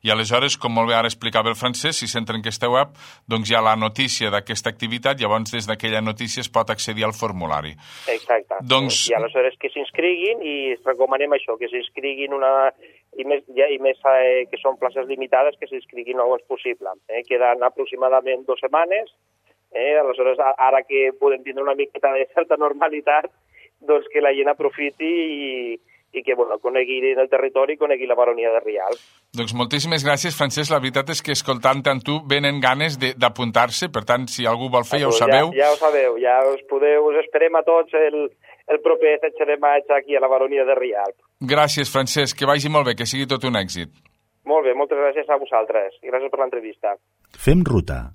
i aleshores, com molt bé ara explicava el Francesc, si s'entra en aquesta web, doncs hi ha la notícia d'aquesta activitat, llavors des d'aquella notícia es pot accedir al formulari. Exacte. I aleshores que s'inscriguin i recomanem això, que s'inscriguin i més que són places limitades, que s'inscriguin el més possible. Queden aproximadament 2 setmanes, aleshores ara que podem tindre una miqueta de certa normalitat, doncs que la gent aprofiti i que conegui el territori i conegui la baronia de Rialp. Doncs moltíssimes gràcies, Francesc. La veritat és que escoltant-te amb tu venen ganes d'apuntar-se, per tant, si algú vol fer, ja ho sabeu. Ja ho sabeu, ja us esperem a tots el proper 16 de maig aquí a la baronia de Rialp. Gràcies, Francesc, que vagi molt bé, que sigui tot un èxit. Molt bé, moltes gràcies a vosaltres i gràcies per l'entrevista. Fem ruta.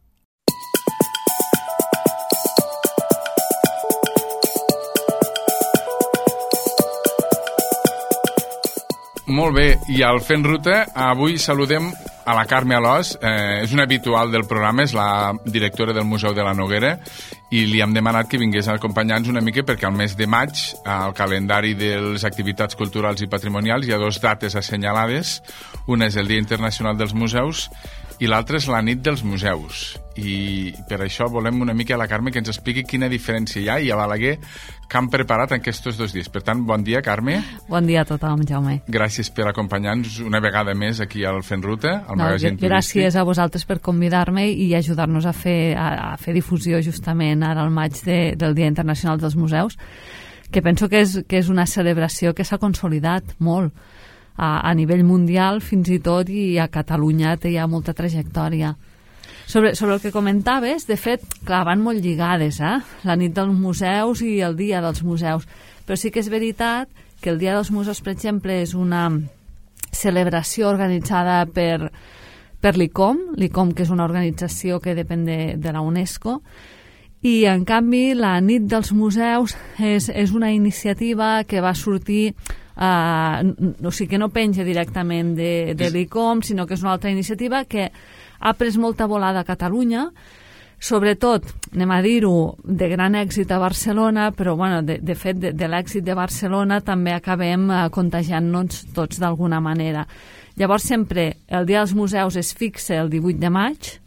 Molt bé, i al Fent Ruta avui saludem a la Carme Alòs, és una habitual del programa, és la directora del Museu de la Noguera, i li hem demanat que vingués a acompanyar-nos una mica perquè al mes de maig, al calendari de les activitats culturals i patrimonials, hi ha 2 dates assenyalades. Una és el Dia Internacional dels Museus i l'altra és la Nit dels Museus. I per això volem una mica a la Carme que ens expliqui quina diferència hi ha i a Balaguer que han preparat aquests 2 dies. Per tant, bon dia, Carme. Bon dia a tothom, Jaume. Gràcies per acompanyar-nos una vegada més aquí al Fent Ruta, al magazín turístic. Gràcies a vosaltres per convidar-me i ajudar-nos a fer difusió justament ara al maig del Dia Internacional dels Museus, que penso que és una celebració que s'ha consolidat molt a nivell mundial fins i tot, i a Catalunya té ja molta trajectòria. Sobre el que comentaves, de fet, clar, van molt lligades, la nit dels museus i el dia dels museus, però sí que és veritat que el dia dels museus, per exemple, és una celebració organitzada per l'ICOM, que és una organització que depèn de la UNESCO, i en canvi la nit dels museus és una iniciativa que va sortir, o sigui que no penja directament de l'ICOM, sinó que és una altra iniciativa que ha pres molta volada a Catalunya, sobretot, anem a dir-ho, de gran èxit a Barcelona, però bueno, de fet de l'èxit de Barcelona també acabem contagiant-nos tots d'alguna manera. Llavors sempre el Dia dels Museus es fixa el 18 de maig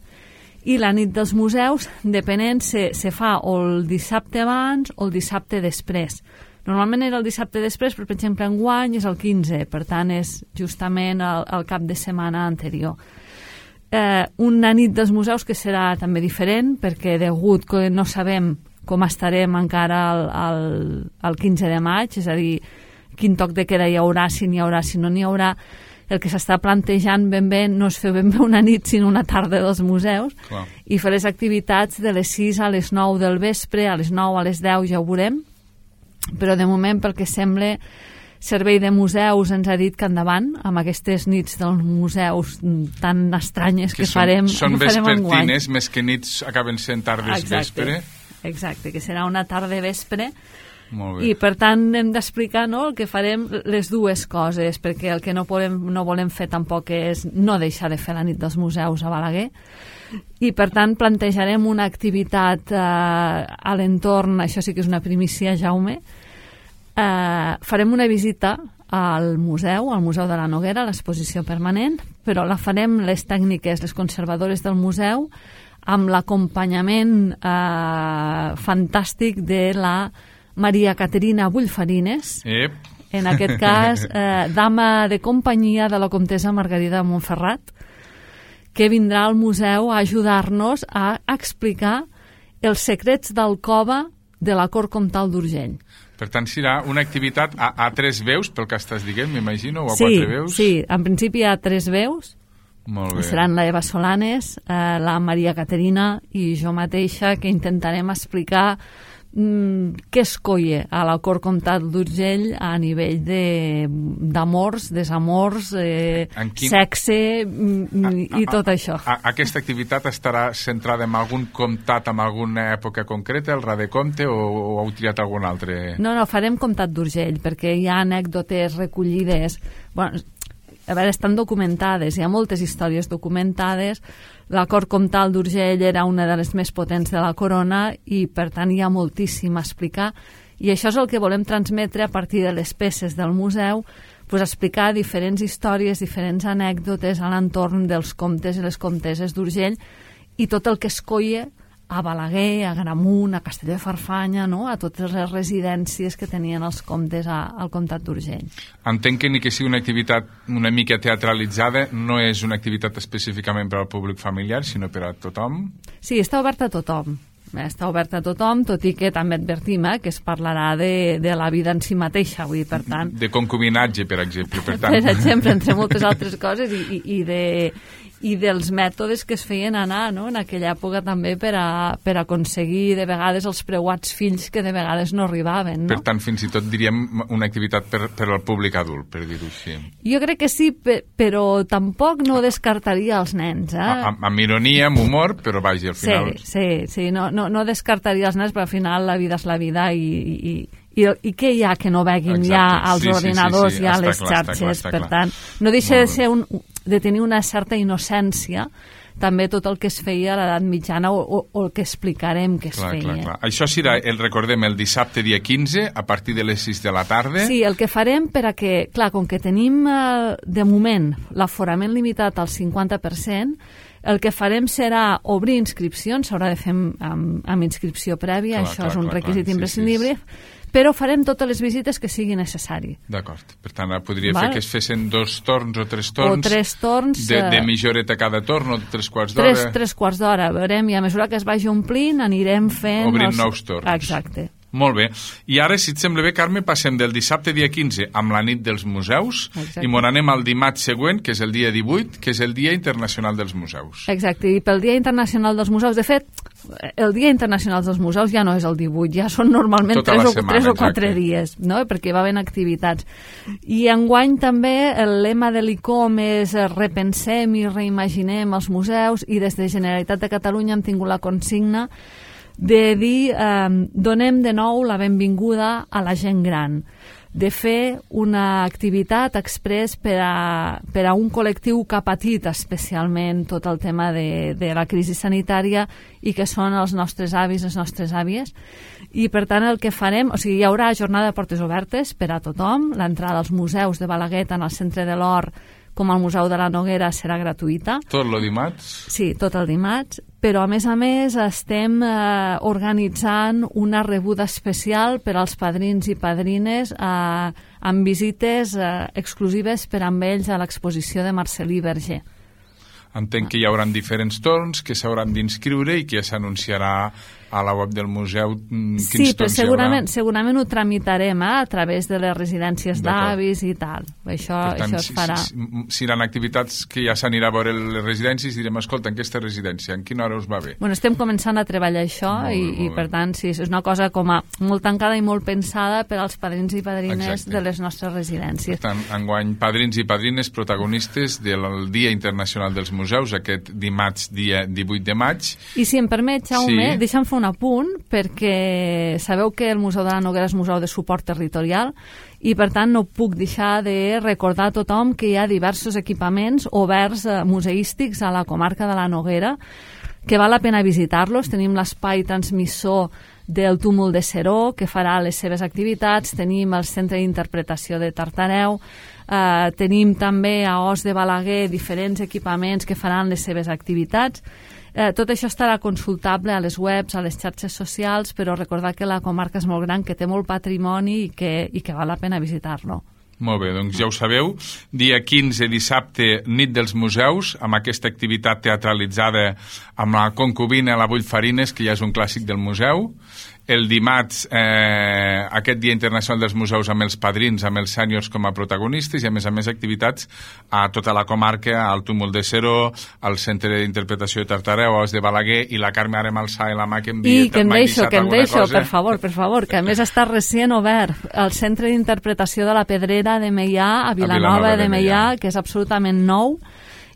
i la nit dels museus, depenent, se fa o el dissabte abans o el dissabte després. Normalment era el dissabte després, però per exemple enguany és el 15, per tant és justament el cap de setmana anterior. Una nit dels museus que serà també diferent, perquè degut que no sabem com estarem encara el 15 de maig, és a dir, quin toc de queda hi haurà, si n'hi haurà, si no n'hi haurà, el que s'està plantejant ben bé no és fer ben bé una nit, sinó una tarda dels museus. Clar. I fer les activitats de les 6 a les 9 del vespre, a les 9 a les 10 ja ho veurem, però de moment, pel que sembla, Servei de Museus ens ha dit que endavant amb aquestes nits dels museus tan estranyes que farem enguany. Són vespertines, més que nits acaben sent tardes vespre. Exacte, que serà una tarda vespre. Molt bé. I per tant hem d'explicar, no, el que farem les dues coses, perquè el que no volem fer tampoc és no deixar de fer la nit dels museus a Balaguer, i per tant plantejarem una activitat a l'entorn, això sí que és una primícia, Jaume. Farem una visita al Museu de la Noguera, a l'exposició permanent, però la farem les tècniques, les conservadores del museu, amb l'acompanyament fantàstic de la Maria Caterina Bullfarines, en aquest cas dama de companyia de la comtessa Margarida de Montferrat, que vindrà al museu a ajudar-nos a explicar els secrets d'alcova de la cort comtal d'Urgell. Per tant, serà una activitat a 3 veus, pel que estàs dient, m'imagino, o a 4 veus? Sí, en principi hi ha 3 veus. Molt bé. Seran la Eva Solanes, la Maria Caterina i jo mateixa, que intentarem explicar què es colla a la cort comtal d'Urgell a nivell d'amors, desamors, sexe i tot això. Aquesta activitat estarà centrada en algun comtat, en alguna època concreta, el Radecomte, o heu triat algun altre? No, farem comtat d'Urgell, perquè hi ha anècdotes recollides. Bueno, a veure, estan documentades, hi ha moltes històries documentades. La cort comtal d'Urgell era una de les més potents de la corona i, per tant, hi ha moltíssim a explicar. I això és el que volem transmetre a partir de les peces del museu, explicar diferents històries, diferents anècdotes a l'entorn dels comtes i les comteses d'Urgell i tot el que es colla a Balaguer, a Gramunt, a Castelló de Farfanya, no? A totes les residències que tenien els comtes al comtat d'Urgell. Entenc que ni que sigui una activitat una mica teatralitzada, no és una activitat específicament per al públic familiar, sinó per a tothom? Sí, està oberta a tothom. Està oberta a tothom, tot i que també advertim que es parlarà de la vida en si mateixa, vull dir, per tant... De concubinatge, per exemple, per tant. Per exemple, entre moltes altres coses, i dels mètodes que es feien anar, no?, en aquella època també per aconseguir de vegades els preuats fills que de vegades no arribaven, no? Per tant, fins i tot diríem una activitat per al públic adult, per dir-ho així. Jo crec que sí, però tampoc no descartaria els nens, Amb ironia, amb humor, però vaja, al final... Sí, no descartaria els nens, però al final la vida és la vida i I què hi ha que no veguin ja als ordinadors i a les xarxes? Per tant, no deixa de tenir una certa innocència també tot el que es feia a l'edat mitjana o el que explicarem que es feia. Clar. Això serà, recordem, el dissabte dia 15 a partir de les 6 de la tarda. Sí, el que farem per a que, clar, com que tenim de moment l'aforament limitat al 50%, el que farem serà obrir inscripcions, s'haurà de fer amb inscripció prèvia, això és un requisit imprescindible, però farem totes les visites que sigui necessari. D'acord. Per tant, podria fer que es fessin 2 torns o 3 torns. O 3 torns. De mitja horeta cada torn o 3 quarts d'hora. 3 quarts d'hora, veurem, i a mesura que es vagi omplint anirem fent... Obrint nous torns. Exacte. Molt bé. I ara, si et sembla bé, Carme, passem del dissabte dia 15 amb la nit dels museus. Exacte. I m'on anem al dimarts següent, que és el dia 18, que és el Dia Internacional dels Museus. Exacte, i pel Dia Internacional dels Museus, de fet, el Dia Internacional dels Museus ja no és el 18, ja són normalment 3 o 4 dies, no? Perquè va haver activitats. I enguany també el lema de l'ICOM és repensem i reimaginem els museus, i des de Generalitat de Catalunya hem tingut la consigna de dir donem de nou la benvinguda a la gent gran, de fer una activitat express per a un col·lectiu que ha patit especialment tot el tema de la crisi sanitària i que són els nostres avis, les nostres àvies. I per tant el que farem, o sigui, hi haurà jornada de portes obertes per a tothom, l'entrada als museus de Balaguer, tant al Centre de l'Or com al Museu de la Noguera serà gratuïta. Tot el dimarts? Sí, tot el dimarts, però a més estem organitzant una rebuda especial per als padrins i padrines amb visites exclusives per amb ells a l'exposició de Marcel·lí Berger. Entenc que hi haurà diferents torns, que s'hauran d'inscriure i que s'anunciarà a la web del museu quins sí, però segurament ho tramitarem a través de les residències d'avis i tal. Això es farà. Si hi ha activitats que ja s'anirà a veure les residències, direm, escolta, en aquesta residència, en quina hora us va bé? Bueno, estem començant a treballar això i per tant, sí, és una cosa com a molt tancada i molt pensada per als padrins i padrines de les nostres residències. Per tant, enguany, padrins i padrines protagonistes del Dia Internacional dels Museus, aquest dimarts, dia 18 de maig. I si em permet, Jaume, deixa'm fer un apunt, perquè sabeu que el Museu de la Noguera és museu de suport territorial i per tant no puc deixar de recordar a tothom que hi ha diversos equipaments oberts museístics a la comarca de la Noguera que val la pena visitar-los. Tenim l'espai transmissor del Túmul de Seró, que farà les seves activitats, tenim el Centre d'Interpretació de Tartareu, tenim també a Os de Balaguer diferents equipaments que faran les seves activitats. Tot això estarà consultable a les webs, a les xarxes socials, però recordar que la comarca és molt gran, que té molt patrimoni i que val la pena visitar-lo. Molt bé, doncs ja ho sabeu, dia 15, dissabte, nit dels museus, amb aquesta activitat teatralitzada amb la concubina, la Bullfarines, que ja és un clàssic del museu. El dimarts, aquest Dia Internacional dels Museus amb els padrins, amb els sèniors com a protagonistes i, a més activitats a tota la comarca, al Túmul de Seró, al Centre d'Interpretació de Tartareu, a Os de Balaguer, i la Carme ara m'alça la mà que em digui... I que em deixo, per favor, que a més està recient obert el Centre d'Interpretació de la Pedrera de Meià, a Vilanova de Meià, que és absolutament nou,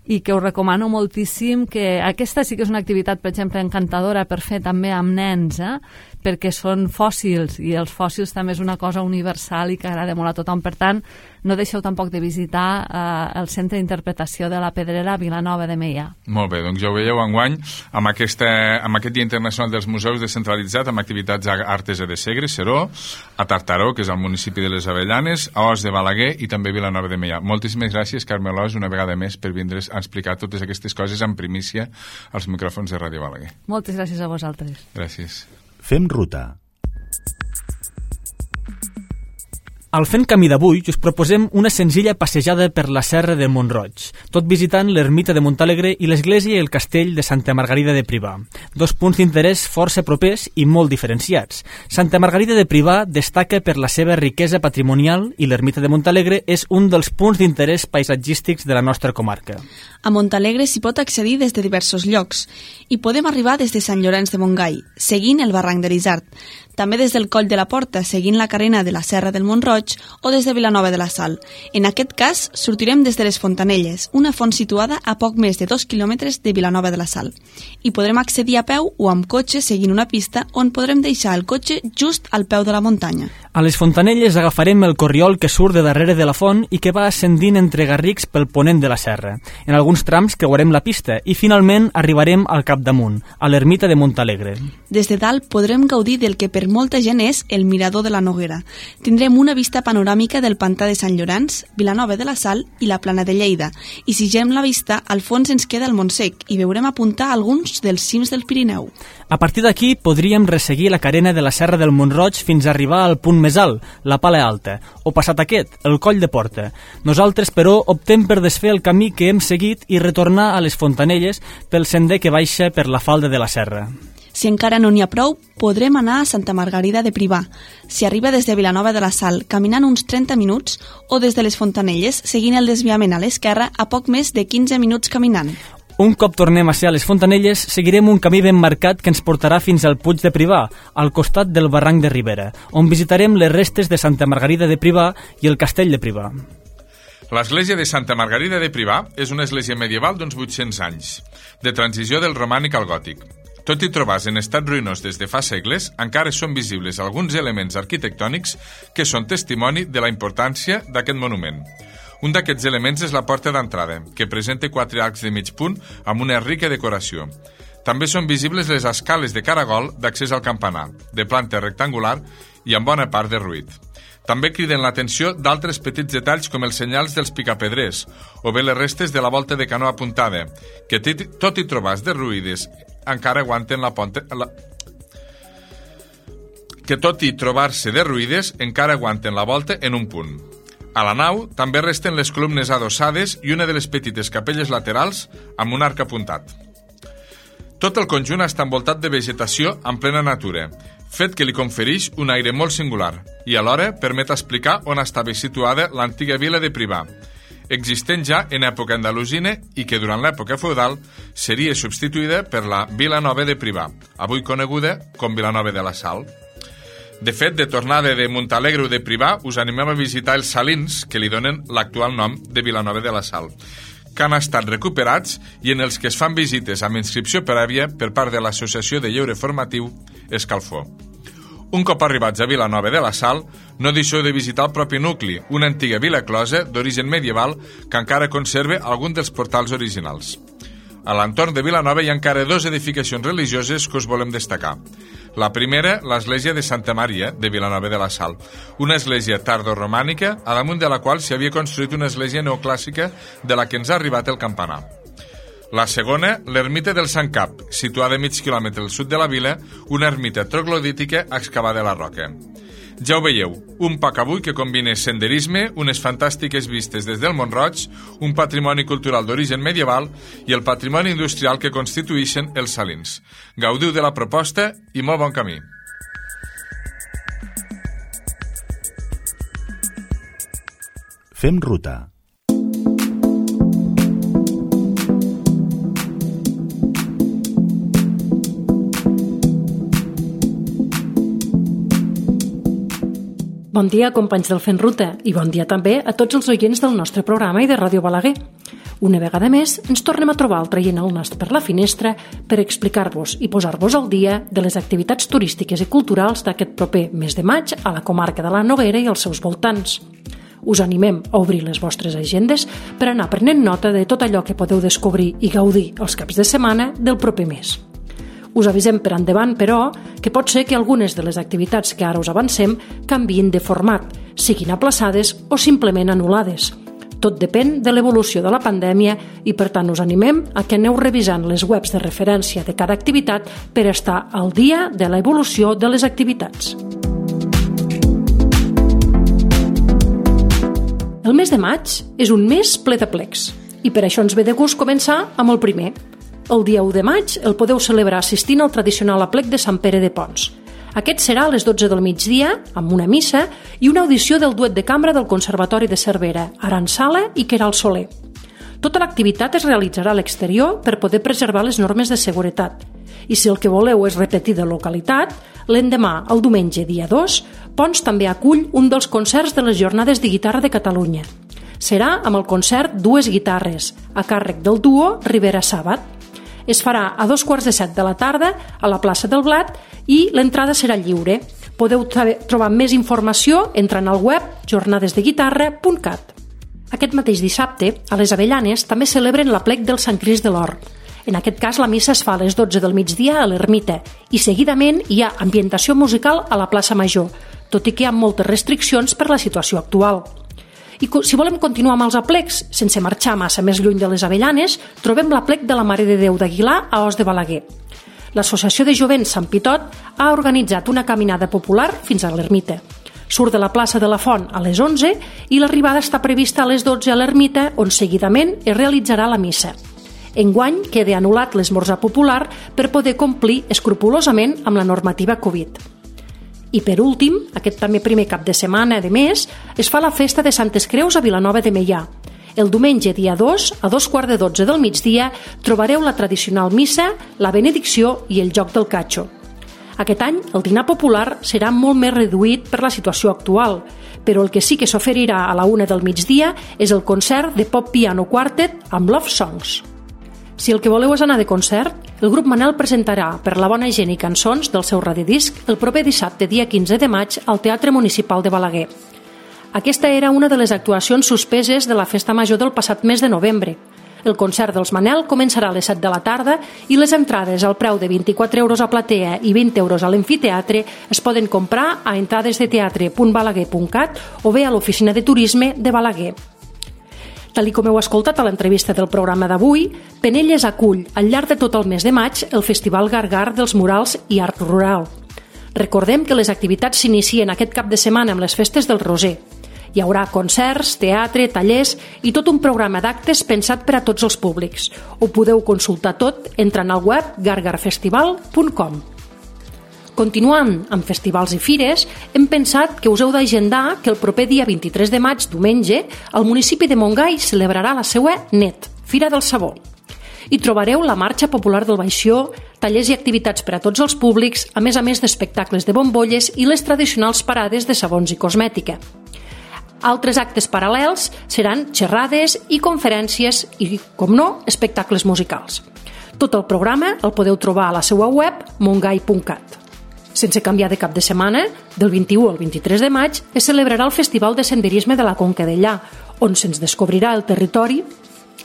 i que us recomano moltíssim, que aquesta sí que és una activitat, per exemple, encantadora per fer també amb nens, perquè són fòssils, i els fòssils també és una cosa universal i que agrada molt a tothom. Per tant, no deixeu tampoc de visitar el Centre d'Interpretació de la Pedrera a Vilanova de Meià. Molt bé, doncs ja ho veieu enguany, amb aquest Dia Internacional dels Museus descentralitzat, amb activitats a Artesa de Segre, Seró, a Tartaró, que és al municipi de les Avellanes, a Os de Balaguer i també a Vilanova de Meià. Moltíssimes gràcies, Carme Alòs, una vegada més per vindre's a explicar totes aquestes coses en primícia als micròfons de Ràdio Balaguer. Moltes gràcies a vosaltres. Gràcies. Fem ruta. Al Fent Camí d'avui us proposem una senzilla passejada per la serra de Mont-roig, tot visitant l'ermita de Montalegre i l'església i el castell de Santa Margarida de Privà, dos punts d'interès força propers i molt diferenciats. Santa Margarida de Privà destaca per la seva riquesa patrimonial i l'ermita de Montalegre és un dels punts d'interès paisatgístics de la nostra comarca. A Montalegre s'hi pot accedir des de diversos llocs i podem arribar des de Sant Llorenç de Montgai, seguint el barranc de l'Isart, també des del Coll de la Porta, seguint la carena de la Serra del Mont-roig, Mont-roig o des de Vilanova de la Sal. En aquest cas, sortirem des de les Fontanelles, una font situada a poc més de 2 quilòmetres de Vilanova de la Sal. I podrem accedir a peu o amb cotxe seguint una pista on podrem deixar el cotxe just al peu de la muntanya. A les Fontanelles agafarem el corriol que surt de darrere de la font i que va ascendint entre garrics pel ponent de la serra. En alguns trams creuarem la pista i finalment arribarem al capdamunt, a l'ermita de Montalegre. Des de dalt podrem gaudir del que per molta gent és el mirador de la Noguera. Tindrem una vista panoràmica del pantà de Sant Llorenç, Vilanova de la Sal i la Plana de Lleida. I si girem la vista, al fons ens queda el Montsec i veurem apuntar alguns dels cims del Pirineu. A partir d'aquí podríem resseguir la carena de la Serra del Mont-roig fins a arribar al punt més alt, la Pala Alta, o passat aquest, el Coll de Porta. Nosaltres, però, optem per desfer el camí que hem seguit i retornar a les Fontanelles pel sender que baixa per la falda de la serra. Si encara no n'hi ha prou, podrem anar a Santa Margarida de Privà. Si arriba des de Vilanova de la Sal, caminant uns 30 minuts, o des de les Fontanelles, seguint el desviament a l'esquerra, a poc més de 15 minuts caminant. Un cop tornem a ser a les Fontanelles, seguirem un camí ben marcat que ens portarà fins al Puig de Privà, al costat del barranc de Ribera, on visitarem les restes de Santa Margarida de Privà i el castell de Privà. L'església de Santa Margarida de Privà és una església medieval d'uns 800 anys, de transició del romànic al gòtic. Tot i trobar-se en estat ruïnós des de fa segles, encara són visibles alguns elements arquitectònics que són testimoni de la importància d'aquest monument. Un d'aquests elements és la porta d'entrada, que presenta 4 arcs de mig punt amb una rica decoració. També són visibles les escales de caragol d'accés al campanar, de planta rectangular i amb bona part derruït. També criden l'atenció d'altres petits detalls com els senyals dels picapedrers o bé les restes de la volta de canó apuntada, que tot i trobar-se derruïdes encara aguanten la volta en un punt. A la nau també resten les columnes adossades i una de les petites capelles laterals amb un arc apuntat. Tot el conjunt està envoltat de vegetació en plena natura, fet que li confereix un aire molt singular i alhora permet explicar on estava situada l'antiga vila de Privà, existent ja en època andalusina i que durant l'època feudal seria substituïda per la Vila Nova de Privà, avui coneguda com Vilanova de la Sal. De fet, de tornada de Montalegre o de Privà, us animem a visitar els salins que li donen l'actual nom de Vilanova de la Sal, que han estat recuperats i en els que es fan visites amb inscripció prèvia per part de l'Associació de Lleure Formatiu Escalfor. Un cop arribats a Vilanova de la Sal, no deixeu de visitar el propi nucli, una antiga vila closa d'origen medieval que encara conserva algun dels portals originals. A l'entorn de Vilanova hi ha encara 2 edificacions religioses que us volem destacar. La primera, l'església de Santa Maria de Vilanova de la Sal, una església tardoromànica a damunt de la qual s'hi havia construït una església neoclàssica de la que ens ha arribat el campanar. La segona, l'ermita del Sant Cap, situada a mig quilòmetre al sud de la vila, una ermita troglodítica excavada a la roca. Ja ho veieu, un poc avui que combina senderisme, unes fantàstiques vistes des del Mont-roig, un patrimoni cultural d'origen medieval i el patrimoni industrial que constituïxen els salins. Gaudiu de la proposta i molt bon camí. Fem ruta. Bon dia, companys del Fent Ruta, i bon dia també a tots els oients del nostre programa i de Ràdio Balaguer. Una vegada més, ens tornem a trobar traient el nas per la finestra per explicar-vos i posar-vos al dia de les activitats turístiques i culturals d'aquest proper mes de maig a la comarca de la Noguera i als seus voltants. Us animem a obrir les vostres agendes per anar prenent nota de tot allò que podeu descobrir i gaudir els caps de setmana del proper mes. Us avisem per endavant, però, que pot ser que algunes de les activitats que ara us avancem canviïn de format, siguin aplaçades o simplement anul·lades. Tot depèn de l'evolució de la pandèmia i, per tant, us animem a que aneu revisant les webs de referència de cada activitat per estar al dia de l'evolució de les activitats. El mes de maig és un mes ple de plecs i per això ens ve de gust començar amb el primer. El dia 1 de maig el podeu celebrar assistint al tradicional aplec de Sant Pere de Pons. Aquest serà a les 12 del migdia, amb una missa i una audició del duet de cambra del Conservatori de Cervera, Aran Sala i Queralt Soler. Tota l'activitat es realitzarà a l'exterior per poder preservar les normes de seguretat I si el que voleu és repetir de localitat, l'endemà, el diumenge, dia 2, Ponts també acull un dels concerts de les Jornades de Guitarra de Catalunya. Serà amb el concert Dues Guitarres, a càrrec del duo Rivera Sàbat. Es farà a 2:15 de la tarda a la plaça del Blat i l'entrada serà lliure. Podeu trobar més informació entrant al web jornadesdeguitarra.cat. Aquest mateix dissabte, a les Avellanes, també celebren l'aplec del Sant Crist de l'Or. En aquest cas, la missa es fa a les 12 del migdia a l'Ermita i seguidament hi ha ambientació musical a la plaça Major, tot i que hi ha moltes restriccions per la situació actual. I si volem continuar amb els aplecs, sense marxar massa més lluny de les Avellanes, trobem l'aplec de la Mare de Déu d'Aguilar a Os de Balaguer. L'Associació de Jovents Sant Pitot ha organitzat una caminada popular fins a l'Ermita. Surt de la plaça de la Font a les 11 i l'arribada està prevista a les 12 a l'Ermita, on seguidament es realitzarà la missa. Enguany queda anul·lat l'esmorzar popular per poder complir escrupolosament amb la normativa Covid. I per últim, aquest també primer cap de setmana de mes, es fa la festa de Santes Creus a Vilanova de Meià. El diumenge, dia 2, a 2:15 del migdia, trobareu la tradicional missa, la benedicció i el joc del catxo. Aquest any, el dinar popular serà molt més reduït per la situació actual, però el que sí que s'oferirà a la 1 del migdia és el concert de Pop Piano Quartet amb Love Songs. Si el que voleu és anar de concert, el grup Manel presentarà Per la bona gent i cançons del seu radiodisc el proper dissabte, dia 15 de maig, al Teatre Municipal de Balaguer. Aquesta era una de les actuacions suspeses de la Festa Major del passat mes de novembre. El concert dels Manel començarà a les 7 de la tarda i les entrades al preu de 24 euros a platea i 20 euros a l'amfiteatre es poden comprar a entradesdeteatre.balaguer.cat o bé a l'oficina de turisme de Balaguer. Tal com heu escoltat a l'entrevista del programa d'avui, Penelles acull al llarg de tot el mes de maig el Festival Gargar dels Murals i Art Rural. Recordem que les activitats s'inicien aquest cap de setmana amb les festes del Roser. Hi haurà concerts, teatre, tallers i tot un programa d'actes pensat per a tots els públics. Ho podeu consultar tot entrant al web gargarfestival.com. Continuant amb festivals i fires, hem pensat que us heu d'agendar que el proper dia 23 de maig, diumenge, el municipi de Montgai celebrarà la seva NET, Fira del Sabó. Hi trobareu la marxa popular del Baixó, tallers i activitats per a tots els públics, a més d'espectacles de bombolles i les tradicionals parades de sabons i cosmètica. Altres actes paral·lels seran xerrades i conferències i, com no, espectacles musicals. Tot el programa el podeu trobar a la seva web mongai.cat. Sense canviar de cap de setmana, del 21 al 23 de maig es celebrarà el Festival de Senderisme de la Conca Dellà, on se'ns descobrirà el territori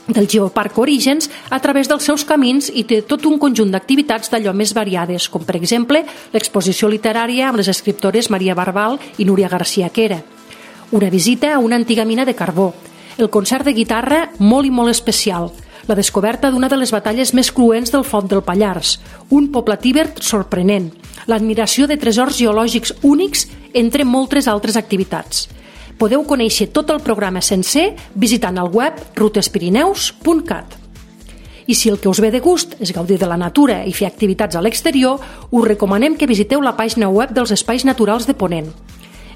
del Geoparc Orígens a través dels seus camins i té tot un conjunt d'activitats d'allò més variades, com per exemple l'exposició literària amb les escriptores Maria Barbal i Núria García Quera, una visita a una antiga mina de carbó, el concert de guitarra molt i molt especial, la descoberta d'una de les batalles més cruents del Font del Pallars, un poble tíber sorprenent, l'admiració de tresors geològics únics, entre moltes altres activitats. Podeu conèixer tot el programa sencer visitant el web rutespirineus.cat. I si el que us ve de gust és gaudir de la natura i fer activitats a l'exterior, us recomanem que visiteu la pàgina web dels Espais Naturals de Ponent.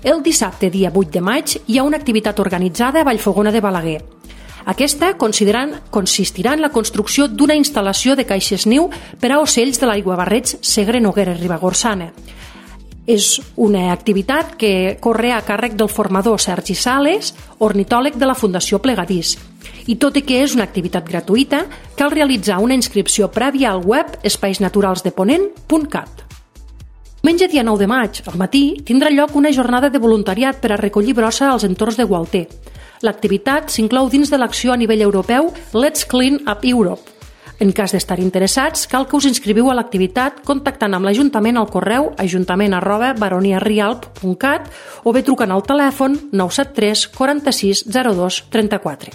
El dissabte, dia 8 de maig, hi ha una activitat organitzada a Vallfogona de Balaguer. Aquesta consistirà en la construcció d'una instal·lació de caixes niu per a ocells de l'aiguabarreig Segre Noguera Ribagorçana. És una activitat que corre a càrrec del formador Sergi Sales, ornitòleg de la Fundació Plegadís. I tot i que és una activitat gratuïta, cal realitzar una inscripció prèvia al web espaisnaturalsdeponent.cat. Diumenge, dia 9 de maig, al matí, tindrà lloc una jornada de voluntariat per a recollir brossa als entorns de Gualter. L'activitat s'inclou dins de l'acció a nivell europeu Let's Clean Up Europe. En cas d'estar interessats, cal que us inscriviu a l'activitat contactant amb l'Ajuntament al correu ajuntament@baroniarialp.cat o bé trucant al telèfon 973 46 02 34.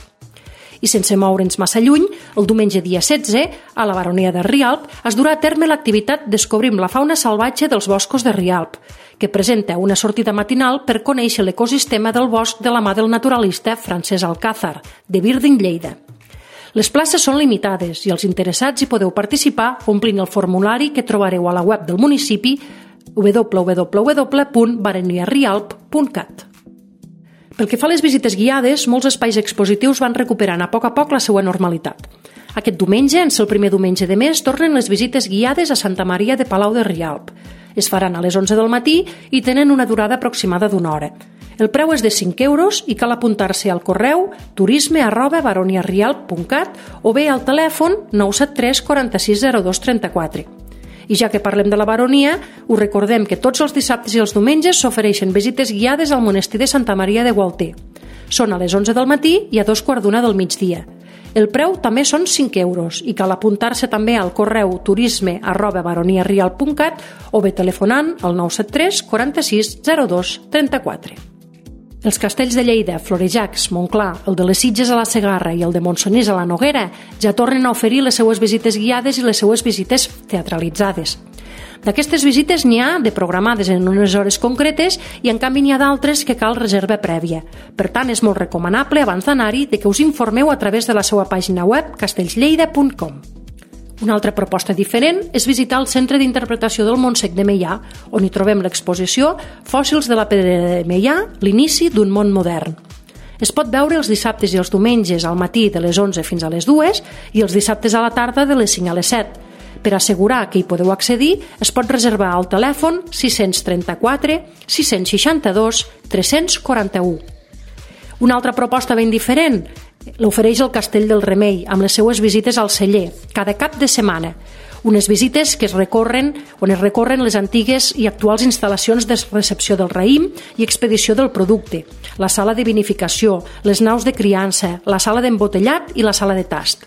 I sense moure'ns massa lluny, el diumenge dia 16, a la Baronia de Rialp, es durà a terme l'activitat Descobrim la fauna salvatge dels boscos de Rialp, que presenta una sortida matinal per conèixer l'ecosistema del bosc de la mà del naturalista Francesc Alcázar, de Birding, Lleida. Les places són limitades i els interessats hi podeu participar omplint el formulari que trobareu a la web del municipi www.baroniarialp.cat. Pel que fa a les visites guiades, molts espais expositius van recuperant a poc la seva normalitat. Aquest diumenge, en ser el primer diumenge de mes, tornen les visites guiades a Santa Maria de Palau de Rialb. Es faran a les 11 del matí i tenen una durada aproximada d'1 hora. El preu és de 5 euros i cal apuntar-se al correu turisme@baroniarialb.cat o bé al telèfon 973 46 02 34. I ja que parlem de la baronia, us recordem que tots els dissabtes i els diumenges s'ofereixen visites guiades al monestir de Santa Maria de Gualter. Són a les 11 del matí i a 2:15 del migdia. El preu també són 5 euros i cal apuntar-se també al correu turisme@baroniarialb.cat o bé telefonant al 973 46 02 34. Els castells de Lleida, Florejacs, Montclar, el de les Sitges a la Segarra i el de Montsonís a la Noguera ja tornen a oferir les seues visites guiades i les seues visites teatralitzades. D'aquestes visites n'hi ha de programades en unes hores concretes i en canvi n'hi ha d'altres que cal reserva prèvia. Per tant, és molt recomanable abans d'anar-hi que us informeu a través de la seva pàgina web castellslleida.com. Una altra proposta diferent és visitar el Centre d'Interpretació del Montsec de Meià, on hi trobem l'exposició Fòssils de la Pedrera de Meià, l'inici d'un món modern. Es pot veure els dissabtes i els diumenges al matí de les 11 fins a les 2 i els dissabtes a la tarda de les 5 a les 7. Per assegurar que hi podeu accedir, es pot reservar al telèfon 634 662 341. Una altra proposta ben diferent l'ofereix el Castell del Remei, amb les seues visites al celler, cada cap de setmana. Unes visites que es recorren les antigues i actuals instal·lacions de recepció del raïm i expedició del producte, la sala de vinificació, les naus de criança, la sala d'embotellat i la sala de tast.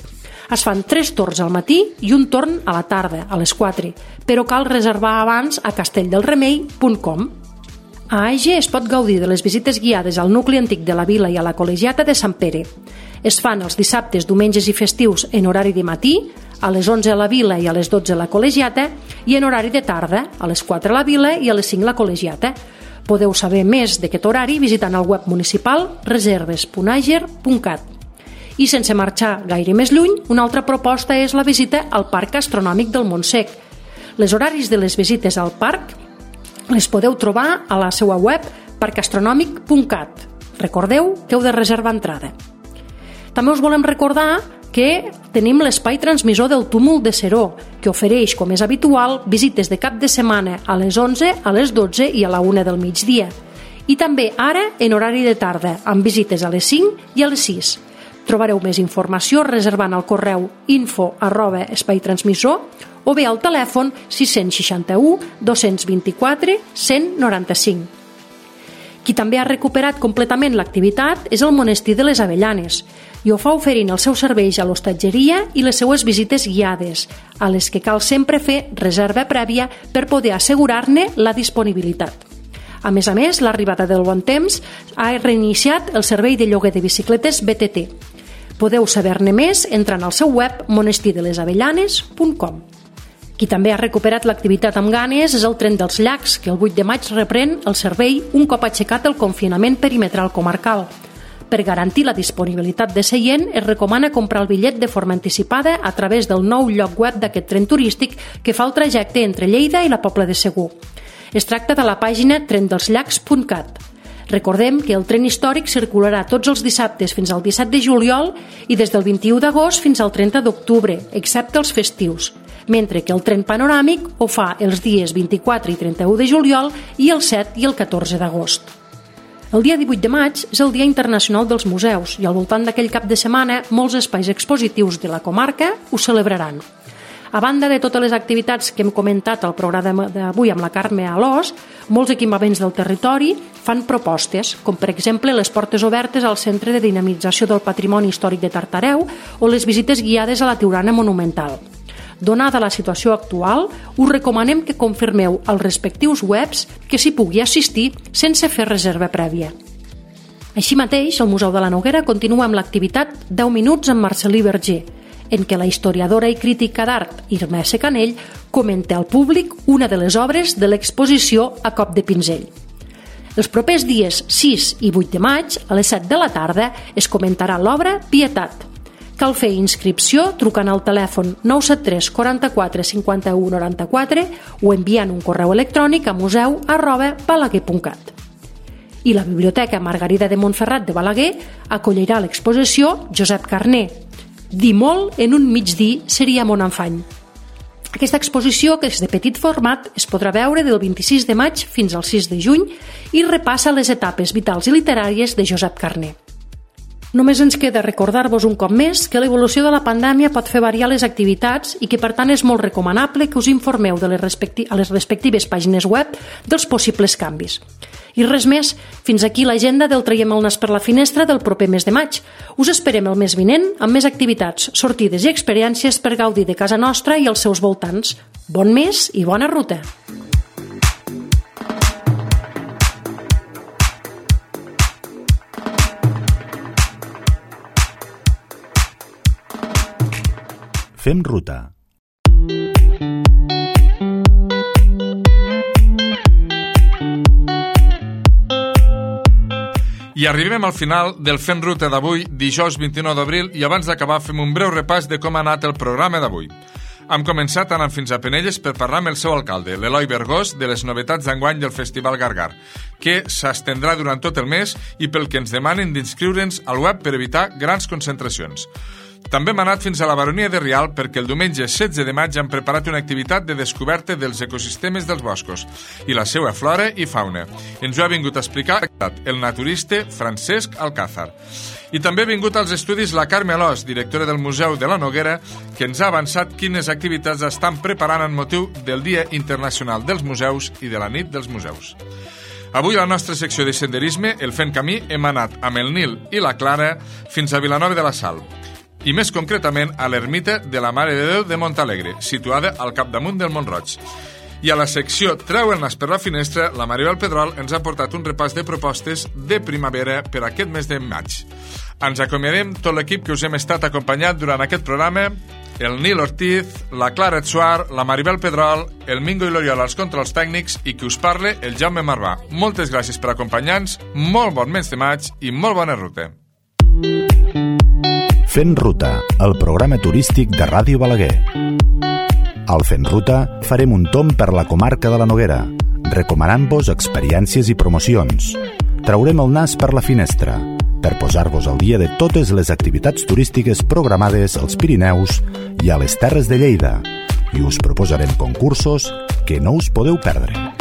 Es fan 3 torns al matí i un torn a la tarda, a les 4, però cal reservar abans a castelldelremei.com. A Age es pot gaudir de les visites guiades al nucli antic de la vila i a la col·legiata de Sant Pere. Es fan els dissabtes, diumenges i festius en horari de matí, a les 11 a la vila i a les 12 a la col·legiata, i en horari de tarda, a les 4 a la vila i a les 5 a la col·legiata. Podeu saber més d'aquest horari visitant el web municipal reserves.ager.cat. I sense marxar gaire més lluny, una altra proposta és la visita al Parc Astronòmic del Montsec. Les horaris de les visites al parc les podeu trobar a la seva web parcastronòmic.cat. Recordeu que heu de reservar entrada. També us volem recordar que tenim l'espai transmissor del Túmul de Seró, que ofereix, com és habitual, visites de cap de setmana a les 11, a les 12 i a la 1 del migdia. I també ara en horari de tarda, amb visites a les 5 i a les 6. Trobareu més informació reservant al correu info@espaitransmissor o bé al telèfon 661 224 195. Qui també ha recuperat completament l'activitat és el Monestir de les Avellanes i ho fa oferint els seus serveis a l'hostatgeria i les seues visites guiades, a les que cal sempre fer reserva prèvia per poder assegurar-ne la disponibilitat. A més, l'arribada del bon temps ha reiniciat el servei de lloguer de bicicletes BTT. Podeu saber-ne més entrant al seu web monestirdelesavellanes.com. Qui també ha recuperat l'activitat amb ganes és el Tren dels Llacs, que el 8 de maig reprèn el servei un cop aixecat el confinament perimetral comarcal. Per garantir la disponibilitat de seient, es recomana comprar el bitllet de forma anticipada a través del nou lloc web d'aquest tren turístic que fa el trajecte entre Lleida i la Pobla de Segur. Es tracta de la pàgina trendelsllacs.cat. Recordem que el tren històric circularà tots els dissabtes fins al 17 de juliol i des del 21 d'agost fins al 30 d'octubre, excepte els festius, mentre que el tren panoràmic ho fa els dies 24 i 31 de juliol i el 7 i el 14 d'agost. El dia 18 de maig és el Dia Internacional dels Museus i al voltant d'aquell cap de setmana molts espais expositius de la comarca ho celebraran. A banda de totes les activitats que hem comentat al programa d'avui amb la Carme Alòs, molts equipaments del territori fan propostes, com per exemple les portes obertes al Centre de Dinamització del Patrimoni Històric de Tartareu o les visites guiades a la Tiurana Monumental. Donada la situació actual, us recomanem que confirmeu als respectius webs que s'hi pugui assistir sense fer reserva prèvia. Així mateix, el Museu de la Noguera continua amb l'activitat 10 minuts amb Marcel·lí Verger, en què la historiadora i crítica d'art Irma S. Canell comenta al públic una de les obres de l'exposició A cop de pinzell. Els propers dies 6 i 8 de maig, a les 7 de la tarda, es comentarà l'obra Pietat. Cal fer inscripció trucant al telèfon 973 44 51 94 o enviant un correu electrònic a museu@balaguer.cat. I la Biblioteca Margarida de Montferrat de Balaguer acollirà l'exposició Josep Carner, Dir molt en un migdia seria mon enfany. Aquesta exposició, que és de petit format, es podrà veure del 26 de maig fins al 6 de juny i repassa les etapes vitals i literàries de Josep Carner. Només ens queda recordar-vos un cop més que l'evolució de la pandèmia pot fer variar les activitats i que per tant és molt recomanable que us informeu a les respectives pàgines web dels possibles canvis. I res més, fins aquí l'agenda del Traiem el nas per la finestra del proper mes de maig. Us esperem el mes vinent amb més activitats, sortides i experiències per gaudir de casa nostra i els seus voltants. Bon mes i bona ruta! Fem ruta. I arribem al final del Fent Ruta d'avui, dijous 29 d'abril, i abans d'acabar fem un breu repàs de com ha anat el programa d'avui. Hem començat anant fins a Penelles per parlar amb el seu alcalde, l'Eloi Bergós, de les novetats d'enguany del Festival Gargar, que s'estendrà durant tot el mes i pel que ens demanen d'inscriure'ns al web per evitar grans concentracions. També hem anat fins a la Baronia de Rialb perquè el diumenge 16 de maig han preparat una activitat de descoberta dels ecosistemes dels boscos i la seva flora i fauna. Ens ho ha vingut a explicar el naturista Francesc Alcázar. I també ha vingut als estudis la Carme Alòs, directora del Museu de la Noguera, que ens ha avançat quines activitats estan preparant en motiu del Dia Internacional dels Museus i de la Nit dels Museus. Avui a la nostra secció de senderisme, el Fent Camí, hem anat amb el Nil i la Clara fins a Vilanova de la Sal, i més concretament a l'ermita de la Mare de Déu de Montalegre, situada al capdamunt del Mont-roig. I a la secció Treu el nas per la finestra, la Maribel Pedrol ens ha portat un repàs de propostes de primavera per aquest mes de maig. Ens acomiadem tot l'equip que us hem estat acompanyat durant aquest programa, el Nil Ortiz, la Clara Etsuar, la Maribel Pedrol, el Mingo i l'Oriol als controls tècnics i qui us parle, el Jaume Marvà. Moltes gràcies per acompanyar-nos, molt bon mes de maig i molt bona ruta. Fent Ruta, el programa turístic de Ràdio Balaguer. Al Fent Ruta farem un tomb per la comarca de la Noguera, recomanant-vos experiències i promocions. Traurem el nas per la finestra, per posar-vos al dia de totes les activitats turístiques programades als Pirineus i a les Terres de Lleida, i us proposarem concursos que no us podeu perdre.